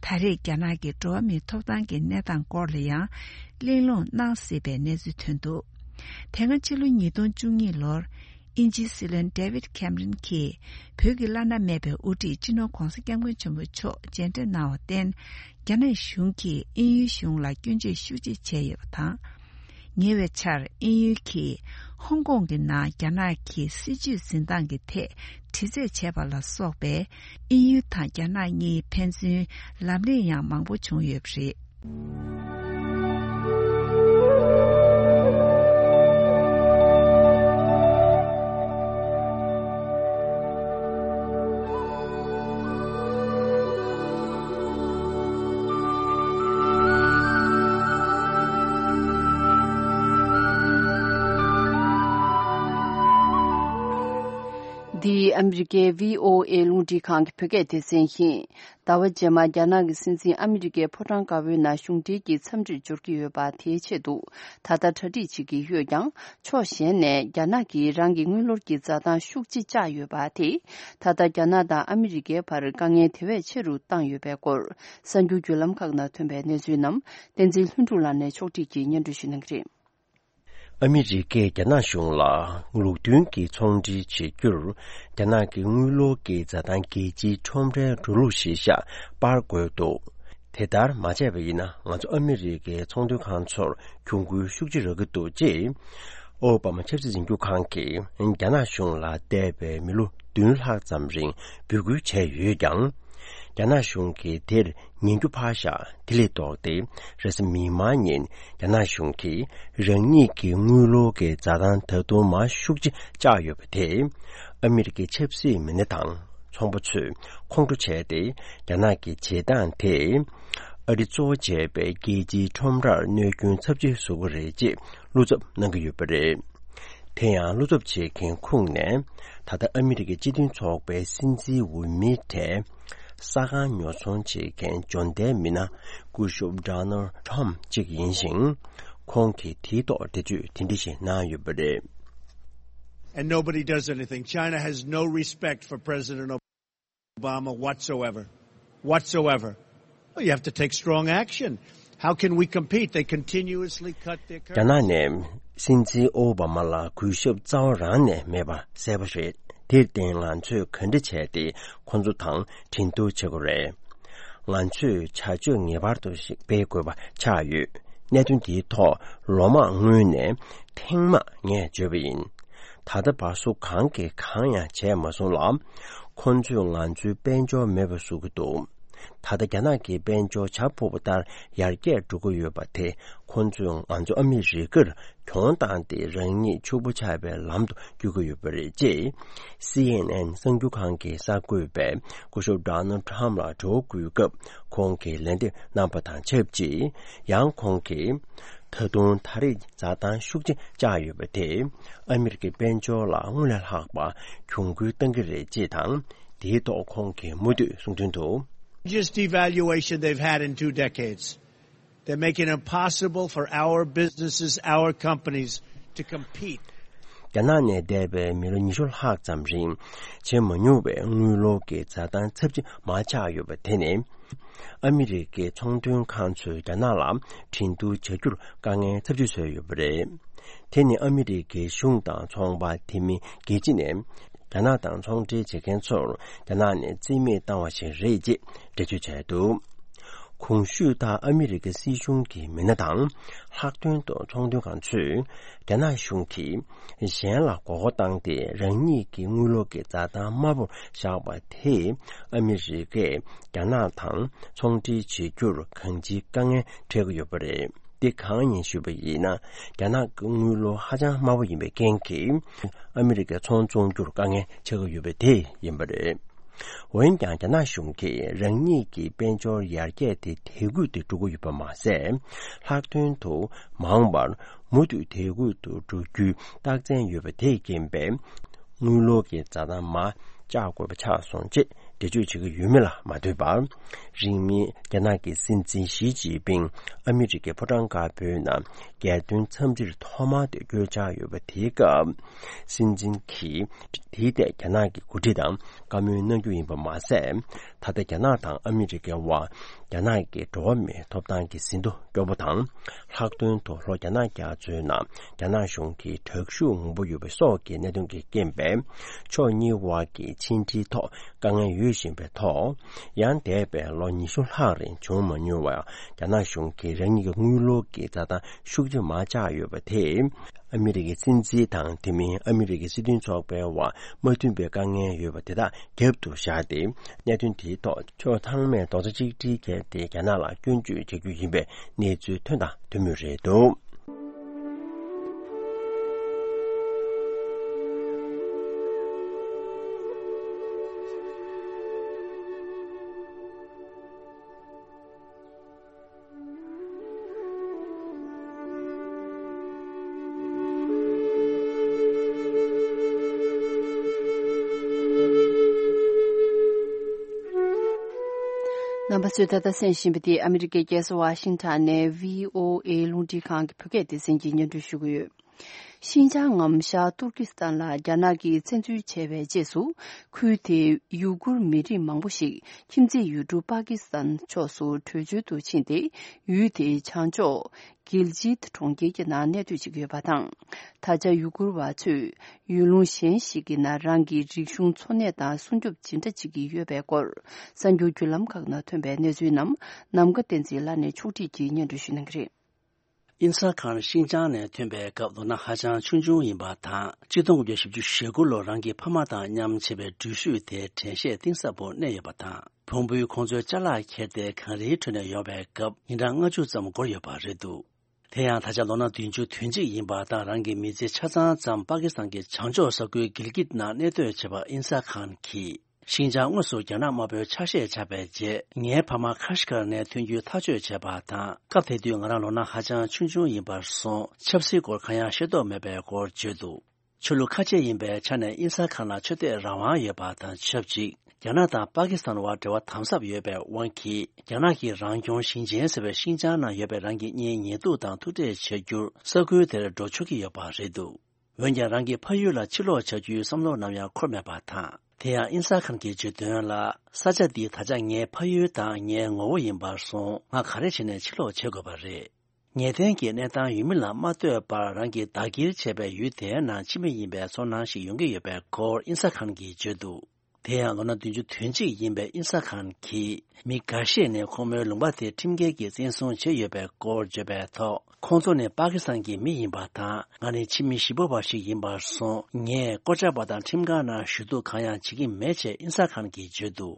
thare gyana gi do mi top da gi ne dang ko le ya le lo na se be ne zu thun do tenga chilu ni don chung ni lor Inji Silen David Cameron ki Pyogi-lana mebe uti jino kongsa kyangwen chumbo cho jente nao ten gyana shung ki inyu shung la gyunje shuji cheye batang. Nyewe char inyu ki Hong Kong ki na gyana ki siju zindang ki te tize cheba la sokbe inyu ta gyana nyi pensun lamli yang mangbo chung yubri. The American VOA Lundi Kang Phuket Desenhin Dawa Jema Jana gi Sinsin American Photang Kawe na Shungti gi Chamji Jurki Yo Ba Tie Chedu Tata Thadi Chi gi Hyo Yang Cho Shen ne Jana gi Rangi Ngulor gi Zadan Shukji Ja Yo Ba Ti Tata Jana da American Par Kangye Thewe Cheru Tang Yo Be Kor Sanju Julam Kagna Thumbe Ne Zuinam Tenzil Hundulan ne Chokti gi Nyandu Shinangri Amerike gyana shung la ngulu dun ki chongji chi gyur gyana ki ngulo ki zadan ki ji chomre rulu shi sha par go do tedar ma je be na nga zo Amerike chongdu khan chor kyunggu shukji ro do ji Obama chepsi jing gyu khan ki gyana shung la de be milu dun ha zam ring bu gu che yu yang gyana shung ki der Nyingyu Pasha Dili Dogde Res Mima Nyin Yana Shungki Rengni Ki Ngulo Ke Zadan Tado Ma Shukji Jayo Pate Amerike Chepsi Minetang Chongbuchu Kongdu Chede Yana Ki Chedan Te Eri Zo Jebe Geji Chomrar Nyegyun Sabji Sugu Reji Luzab Nangayu Pare Tenyang Luzab Che Ken Kungne Tata Amerike Jidin Chokbe Sinzi Wumi Te Saga Nyoson Che Ken Jonde Mina Gushub Donald Trump Jig Yinxing Kongki Tito Teju Tindishi Na Yubere. And nobody does anything. China has no respect for President Obama whatsoever. Whatsoever. Well, you have to take strong action. How can we compete? They continuously cut their currency. Janane Sinzi Obama la Gushub Zhao Rane Meba Sebashe Tirten Lanchu Kandichet Konzu Tang Tindu Chegore Lanchu Chaju Nibardo Begoba Chayu Netun Di To Roma Ngune Tingma Nye Jubin Tada Basu Kanke Kanya Che Masolam Konzu Lanchu Benjo Mebasugudu Tada Ganaki Benjo Chapobutar Yarge Duguyubate Konzu Anju Amirigur Kyondante Rengi Chubuchabe Lamdo Guguyubere J CNN Sangjukanke Sakube Kusho Donald Trump La Joguyugup Konke Lende Nampatan Chepji Yang Konke Tadun Tari Zadan Shukji Jayubate Amerike Benjo La Ngulal Hakba Kyunggu Tangire Jitang Dito Konke Mudu Sungtunto Just devaluation they've had in 2 decades. They're making it impossible for our businesses, our companies to compete. Ganane debe milonishul hak zamring chemo nyube ngulo ke zadan chepji ma cha yoba tene Amerike chongdun kanchu ganala tindu chejur gange chepji so yobre tene Amerike shungda chongba timi gejine Ganadang chongji jeken ganane zime dangwashi reji deju chaidu Kongshu da Amerike si shungki minadang hakdun do chongdun kanchu gana shungki shen la gogo dangde rengi ki ngulo ke zada mabu shaba te Amerike ganadang chongji jigyur kanji gange tregu yobare Di 강인 슈베이나 야나 응으로 하자 마부 임베 겐키 아메리카 총종주로 강에 저거 유베데 임베레 원장자나 슝키 랭니기 벤조 야르게데 대구도 두고 유바마세 학튼도 망발 모두 대구도 두규 딱전 유베데 gembe 누로게 자다마 자고 차송지 대주 지금 유명라 마대바 링미 야나기 신진 시지빙 아메리게 포장가 변나 개든 첨질 토마데 교자 요베티가 신진키 디데 야나기 구디당 가면은 유인바 마세 다데 야나당 아메리게와 야나기 도미 톱당기 신도 교보당 학돈 도로 야나기 아주나 야나숑기 특수 홍보 요베소기 내동기 gembe 초니와기 친지토 강의 유신베토 양대배 로니술하린 조먼유와 야나숑기 랭이가 물로기 자다 슈지 마자요베테 아메리게 진지당 팀이 아메리게 시딘 쪽배와 모든배 강의 요베테다 갭도 샤데 내든티토 초탕매 도지지게 대야나라 균주 제규인배 내주 된다 되뮤레도 Nambasudada Senshibiti America Gas Washington ne VOA Lundi Kang Phuket Senjin Dushugu Xinjiang Amsha Turkistan la Janagi Chenju Chebe Jesu Kuite Yugur Miri Mangbushi Kimji Yudu Pakistan Chosu Tuju Du Chinde Yude Changjo Giljit Tongge na netu jige batang taja yugur wa chu yulung xian xigi na rangi rikshung chone da sunjup jinda jigi yebe gor sanju julam kagna thembe nezu nam namga tenzi la ne chuti ji nyen du shin ngri 인사 칸 신장네 템베 갑도나 하장 춘중 인바타 지동 교습주 쉐고로 랑기 파마다 냠체베 주슈테 텐셰 띵사보 내여바타 봉부유 공조 잘라 캐데 칸리 트네 여베 갑 인랑 어주 점 고려바레도 태양 다자로나 딘주 튠지 인바다 랑기 미제 차자 잠 파키스탄게 장조서그 길깃나 네도 제바 인사 칸키 신장 원소 전화마별 차시에 잡아제 예 파마 카시카네 튼주 타주 제바타 카페디오 나라로나 하장 춘중 인바소 첩시고 가야 셔도 매배고 제도 출루 카제 인베 차네 인사카나 최대 라와 예바타 첩지 야나다 파키스탄과 대화 탐삽 예배 원키 야나기 랑종 신진세베 신자나 예배 랑기 니니도 당 투데 체주 서구들 도축이 예바레도 원자 랑기 파유라 칠로 저주 섬로 남야 콜메바타 대야 인사칸기 주된라 사자디 타장에 파유당에 오인바송 아 가르치네 칠로 제거바레 녀된게 내당 유밀라 마트에 바랑기 다길 제배 유대나 치미인배 손난시 용게 예배 고 인사칸기 주도 대야로나 딘주 튠지 인배 인사칸기 미가시네 코메 롱바테 팀게기 센송 제예배 고 제배터 콘존의 파키스탄기 미인바타 아니 치미 15바시 인바송 nye 고자바다 팀가나 슈도 가야 지기 매체 인사칸기 주도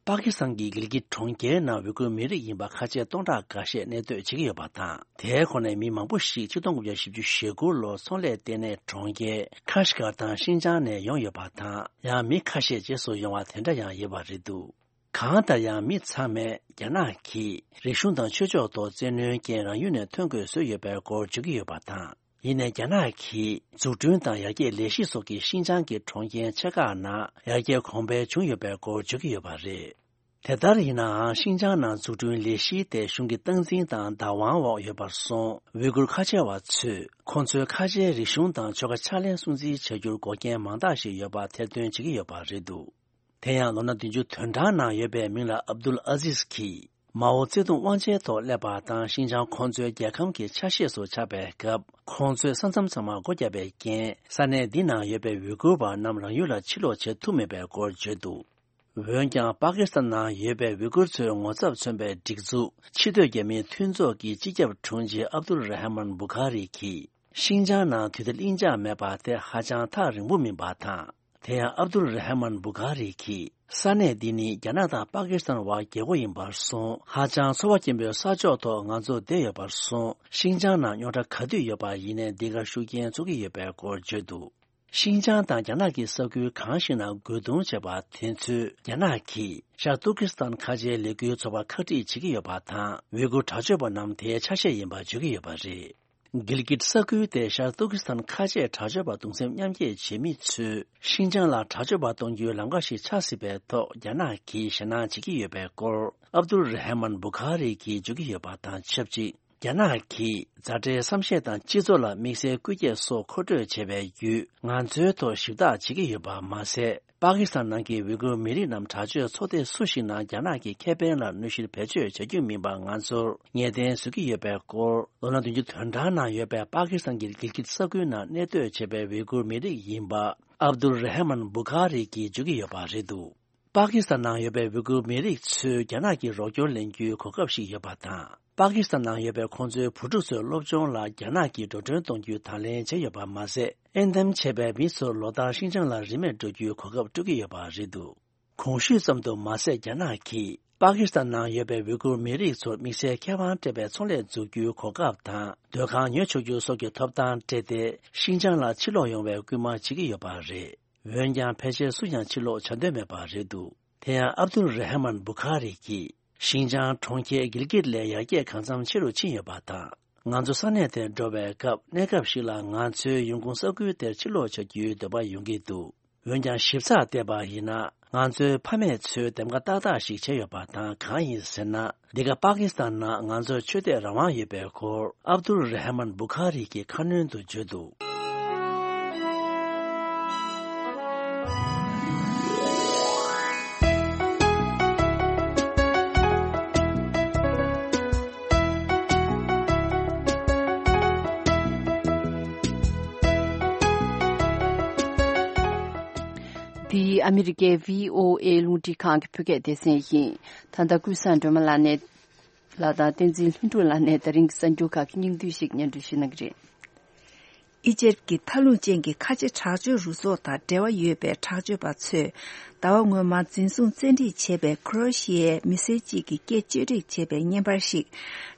파키스탄기 길기 통계나 외국 미리 인바 카제 동다 가시 내도 지기 바타 대권의 미망부시 주동국의 십주 쉐고로 손레데네 통계 카시가다 신장내 용여 바타 야 미카시 제소 영화 된다야 예바리도 강다야 미참에 야나키 리슌당 최저도 제능계랑 윤의 통계서 예배고 지기 바타 이내 야나키 주준당 야게 레시 속의 신장계 통계 체가나 야게 공배 중요배고 지기 바리 대다리나 신장나 주준 레시 대 슝기 등진당 다왕와 예바송 외국 카제와 츠 콘츠 카제 리슌당 저가 차례 순지 제줄 고개 망다시 예바 대든 지기 바리도 태양 로나딘주 튼다나 예배 민라 압둘 아지스키 마오제동 왕제도 레바당 신장 콘주의 개kam기 차시에서 차배급 콘주의 선점sam마 고자배겐 산에디나 예배 위고바 남랑 유라 치로 제투메배 고제도 원장 파키스탄나 예배 위고르 원섭 선배 딕주 치도게미 튠조기 지접 총지 압둘 라하만 부카리키 신장나 뒤들 인자 메바테 하장타 르무민바타 대야 압둘 라하만 부카리키 사네디니 야나다 파키스탄과 계고인 발송 하장 소와kimbe 사조도 응아조 대여 발송 신장나 요다 카드 여바 이내 네가 슈겐 조기 예배 고제도 신장다 야나기 서규 강신나 고동 제바 텐츠 야나키 샤투키스탄 카제 레규 조바 카디 지기 여바타 외국 자주바 남 대차셰 임바 주기 여바지 Gilgit Saku de Turkestan Khaje Chajaba Dungsem Nyamye Chemi Chu Xinjiang la Chajaba Dongyu Langashi Chasibe to Yana ki Shana Chiki Yebe Kor Abdul Rahman Bukhari ki Jugi Yobata Chepji Yana ki Zade Samshe dan Jizola Mise Kuye So Khodo Chebe Yu Nganzu to Shida Chiki Yoba Mase Pakistan nangi Uyghur Miri Nam Chajue Sode Sushi na Yana ki Keben la Nushil Peche Chegyu Mimba Nganzu Nyeden Suki Yebe Kor Lona Dunju Thandana Yebe Pakistan Gilgit Saku na Neto Chebe Uyghur Miri Yimba Abdul Rahman Bukhari ki Jugi Yoba Redu Pakistan na Yebe Uyghur Miri Tsu Yana ki Rogyo Lengyu Kokapshi Yobata Pakistan na Yebe Khonzu Puduso Lobjong la Yana ki Dodron Dongyu Thalen Che Yoba Mase Endem Chebe Miso Loda Xinjiang la Rime Dogyu Kokap Dugi Yoba Redu Khongshu Samdo Mase Yana ki Pakistan na Yebe Uyghur Miri So Mise Kewan Tebe Tsongle Zugyu Kokap Tan Dokhan Nyochogyu Sokyo Topdan Tede Xinjiang la Chilo Yongwe Guma Chigi Yoba Re Wenjang Peche Suyang Chilo Chande Meba Redu Teya Abdul Rahman Bukhari ki Xinjiang Chongke Gilgit le Yage Kanzam Chilo Chin Yobata Nganzu Sane de Dobe Kap Nekap Shila Nganzu Yungkung Saku de Chilo Chogyu Deba Yungidu Wenjang Shipsa Deba Hina Nganzu Pame Tsu Demga Dada Shik Che Yobata Kanyi Sena Diga Pakistan na Nganzu Chode Rawan Yebe Kor Abdul Rahman Bukhari ki Kanun Du Judu The American VOA Lundi Kang Puget Desenhin, Tandakusan Domalane, Lada Tenzin Lane, the Ring Sanjuka, King Dushik Nandushinagri. Egypt ki Talu Jengi Kaji Chaju Rusota, Dewa Yube, Chaju Batsu, Dawang Ma Zinsun Zendi Chebe, Croatia, Miseji ki Getjuri Chebe, Nyembarshik,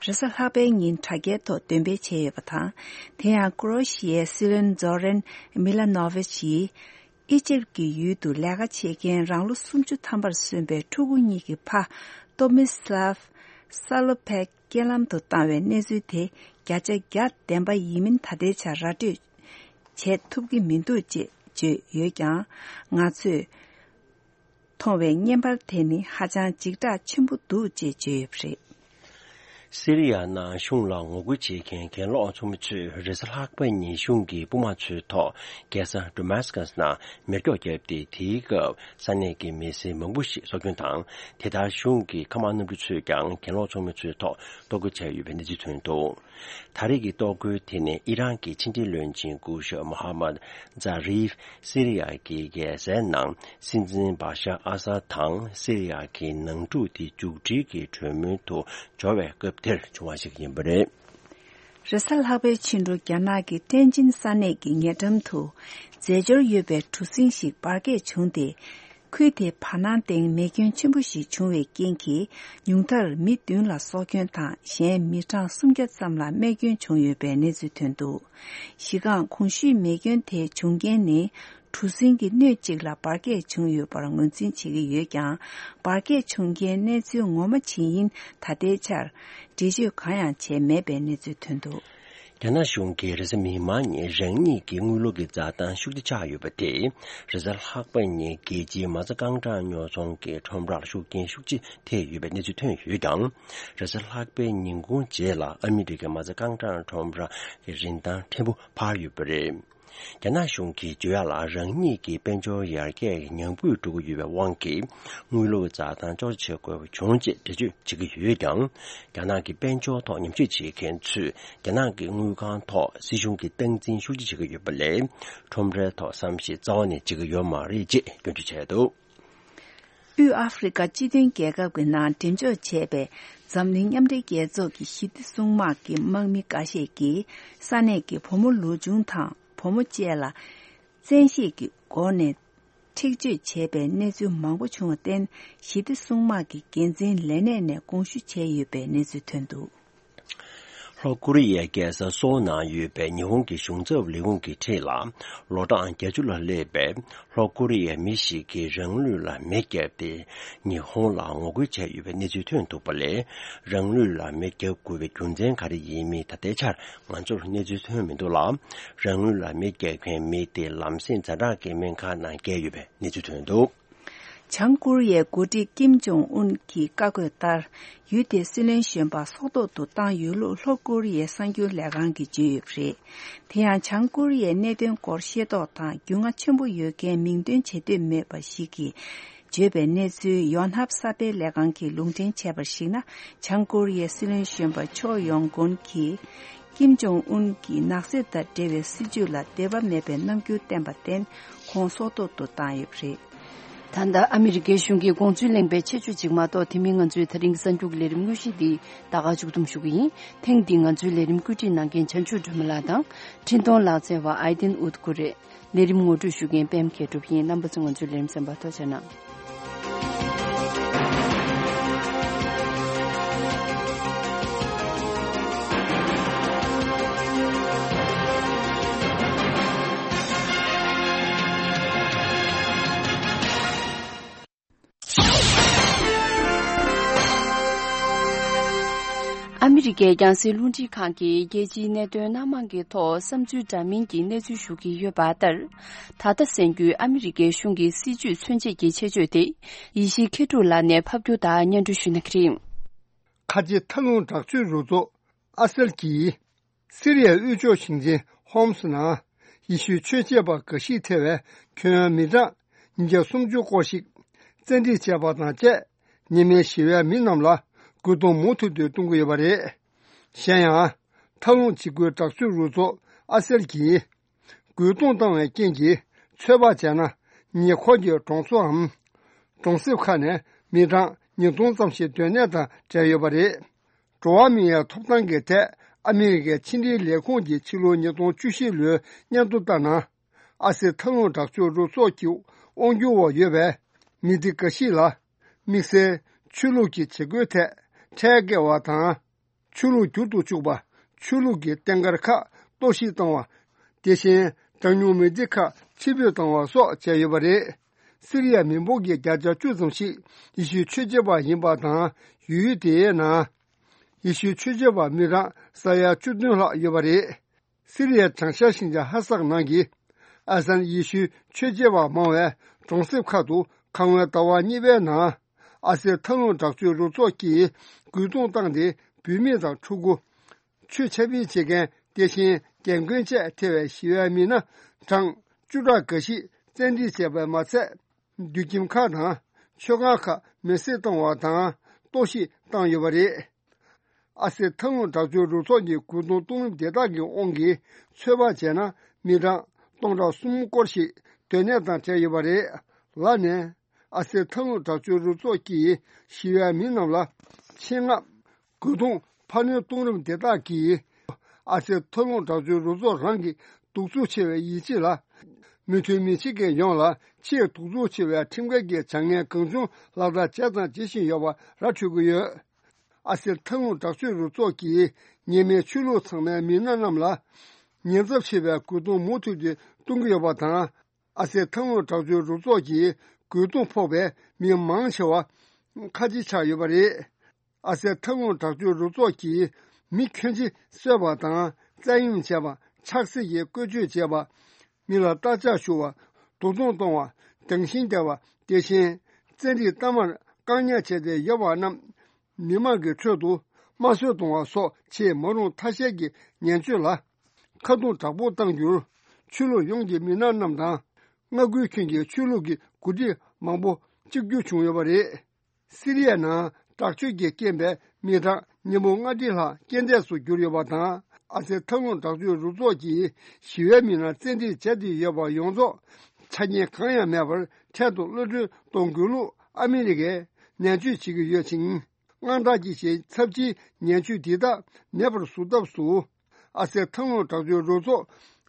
Resalhabe in Tageto, Dembe Chebata, Tea Croatia, Siren Zoran, Milanovici, Egypt ki yudu laga chegen ranglu sumju tambar sunbe chuguni ki pa Tomislav Salopek gelam to tawe nezu te gyaja gyat demba yimin tade cha radio che tubgi mindu je yogyang nga tsu tongwe nyembar teni hajan jigda chimbu du je yubri Syria na Shungla Ngoguchi Ken Lo Chumchu Resalhak Bani Shungi Bumachu To Gesa Damascus na Mergo Jebdi Tiga Sanegi Misi Mungbushi Sokyuntang Teda Shungi Kamanu Buchu Gang Ken Lo Chumchu To Doguche Yubendi Tunto Tarigi Dogu Tine Iran ki Chinti Lunjin Gusha Muhammad Zarif Syria ki Gesenang Sinzin Basha Asa Tang Syria ki Nangju Di Jugji ki Chunmu To Jowe Ter Chuashik Yimbre Resal Habe Chindu Gyanagi Tenjin Sanegi Nyedam Tu Zejor Yube Tusinshik Barge Chungde Kuite Panan Deng Mekyun Chimbushi Chungwe Genki Nyungtar Midun La Sokyun Tang Shen Mitang Sumgyat Samla Mekyun Chungyube Nezu Tundu Shigang Kongshu Mekyun Te Chunggen Ne Tusingi Nyechigla Barge Chungyu Barangunzin Chigi Yegang Barge Chunggen Nezu Ngoma Chinyin Tadechar Deju Kayan Che Mebe Nezu Tundu Yana Shungi Rizmi Mani Rengi Ki Ngulugi Zatan Shukdi Chayu Bate Rizal Hakbani Geji Mazagangda Nyozong Ki Chombra Shukin Shukji Te Yube Nizu Tun Yugang Rizal Hakbe Ningun Jela Amerika Mazagangda Chombra Ki Rindan Tembu Pa Yubere Yana Shungi Juyala Rengi Ki Benjo Yarge Nyangbu Dugu Yube Wangki Ngulu Zatan Joche Kwe Chongji Deju Chigi Yugang Yana Ki Benjo To Nyamchi Chi Ken Chu Yana Ki Ngugang To Si Shungi Tengjin Shuji Chigi Yubele Chombre To Samshi Zawani Chigi Yoma Riji Gyunchi Chedo U Afrika Jidun Gega Gwinan Tenjo Chebe Zamling Yamde Gezo Ki Hiti Sungma Ki Mangmi Kashe Ki Sane Ki Pomo Lujung Tang Pomo Jela Zenshi Ki Gone Tikju Chebe Nezu Mangbo Chunga Den Hiti Sungma Ki Genzin Lene Ne Gongshu Che Yube Nezu Tundu Korea gesa sona yube Nihon ki shungzhe Ligon ki chela lodan gejula lebe Korea mishi ki renglu la meke de Nihon la ngogui che yube neju tuen to pale renglu la meke gube kunzen kari yimi tatechar manjur neju tuen mi do la renglu la meke kwen mi de lamsin zara ke menka na ge yube neju tuen do 장구리의 고디 김종운 기 까고달 유대 실린 셴바 소도도 땅 유로 로구리의 상교 레강기 지프리 대한 장구리의 내된 거시에도 땅 융아 첨부 유게 민된 제대 매바시기 제베네즈 연합사배 레강기 롱된 제버시나 장구리의 실린 셴바 초용군기 김종운기 낙세다 데베 시줄라 데바 매베 남규 템바텐 콘소도도 땅이프리 단다 아메리게 슝기 공주랭베 체주 직마도 티밍은 주 드링선 죽레림 무시디 다가 죽둠 슈기 탱딩은 주 레림 꾸진난겐 전출 주물라다 진동 라제와 아이딘 우드쿠레 내림 모두 슈겐 뱀케 두비 남부승은 주 레림 선바토잖아 아메리게 양세 룬지 칸기 예지 내도 남한게 더 삼주 자민기 내주 슈기 여바들 다다 생규 아메리게 슝기 시주 춘지기 체주대 이시 케돌라네 팝교다 년주슈네 크림 카지 탈론 작주 루조 아셀기 시리아 우주 신진 홈스나 이슈 최제바 거시태외 교미자 이제 숨주 고식 전지 제바다제 님의 시외 민남라 구동 모두도 동고에 바래 현야 탈론 지구 작수 루조 아셀기 구동 당의 경기 최바잖아 니 khoje zhongsuam zhongsu khane miran ni dongsamshi dönedan jayobare zhuamiya topdange de amerika chinli lekongji chilo ni dong jushilu nyando dana ase talon dakju ro sokyu ongyu wo yebe midikashila mise chuluki chegute chege wata chulu judu chuba chuluki tengarka doshi tangwa 대신 정유메디카 치료당와 소 제여버리 시리아 민복의 자자 주정시 이슈 취재와 인바당 유대나 이슈 취재와 미라 사야 주든라 여버리 시리아 장샤신자 하삭나기 아산 이슈 취재와 모에 정습카도 강화다와 니베나 아세 통로 작주로做기 구동당의 비밀당 추구 취체비 제게 대신 경근제 대외 시외미나 장 주라 것이 전지제발 맞세 뉴김카나 쇼가카 메세동와다 도시 땅여버리 아세 통로 작주로做기 구동동 대다기 온기 최바제나 미랑 동자 숨고시 되네다 제여버리 라네 아세 통로 작주로 做기 시외미나라 칭아 구동 판요 동름 대다기 아세 통로 자주로 조랑기 독주체외 이지라 미트미치게 용라 치 독주체외 팀괴게 장년 긍중 라다 자단 지신 여바 라추고여 아세 통로 자주로 조기 님의 출로层내 민나남라 년접체외 구동 모두지 동교여바다 아세 통로 자주로 조기 구동 포배 민망셔와 카지차 여바리 아세 통로 자주로 조기 미켄지 서바당 자용제바 착세의 거주제바 미라 다자쇼와 도동동와 등신대와 대신 전리 담을 강야체대 여바남 미마게 쳐도 마쇼동와 소체 모노 타세기 년주라 카도 잡고 당주 출로 용기 미난남다 나구이킹게 출로기 구디 망보 직교 중요바리 시리아나 딱주게 겜베 미다 니몽아디라 겐데수 교려바다 아세 통론 작주 루조기 시외민나 전디 제디 여바 용조 차니 강야 매벌 태도 루르 동글루 아메리게 내주 지구 여칭 안다지시 첩지 내주 디다 내벌 수답수 아세 통론 작주 루조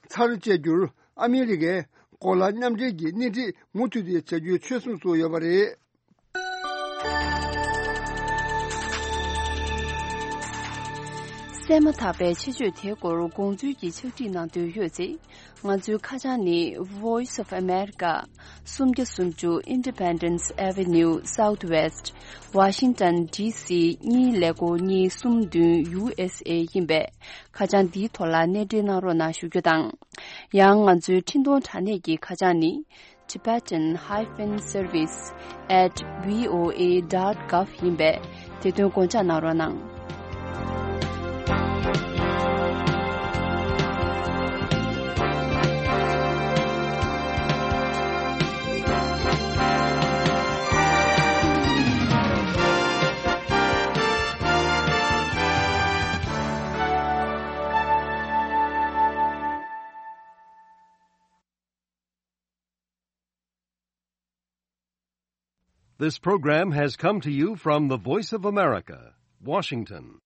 차르제줄 아메리게 콜라냠제기 니디 무투디 제주 최순수 여바리 Sema tabe chiju te goro gongju gi chudi na de yue ngaju khajani Voice of America sumge sumju Independence Avenue Southwest Washington DC ni lego ni sumdu USA yimbe khajan di thola ne de na ro na shugyodang yang ngaju tindo thane gi khajani tibetan-service@voa.gov yimbe te de gonja na ro nang This program has come to you from the Voice of America, Washington.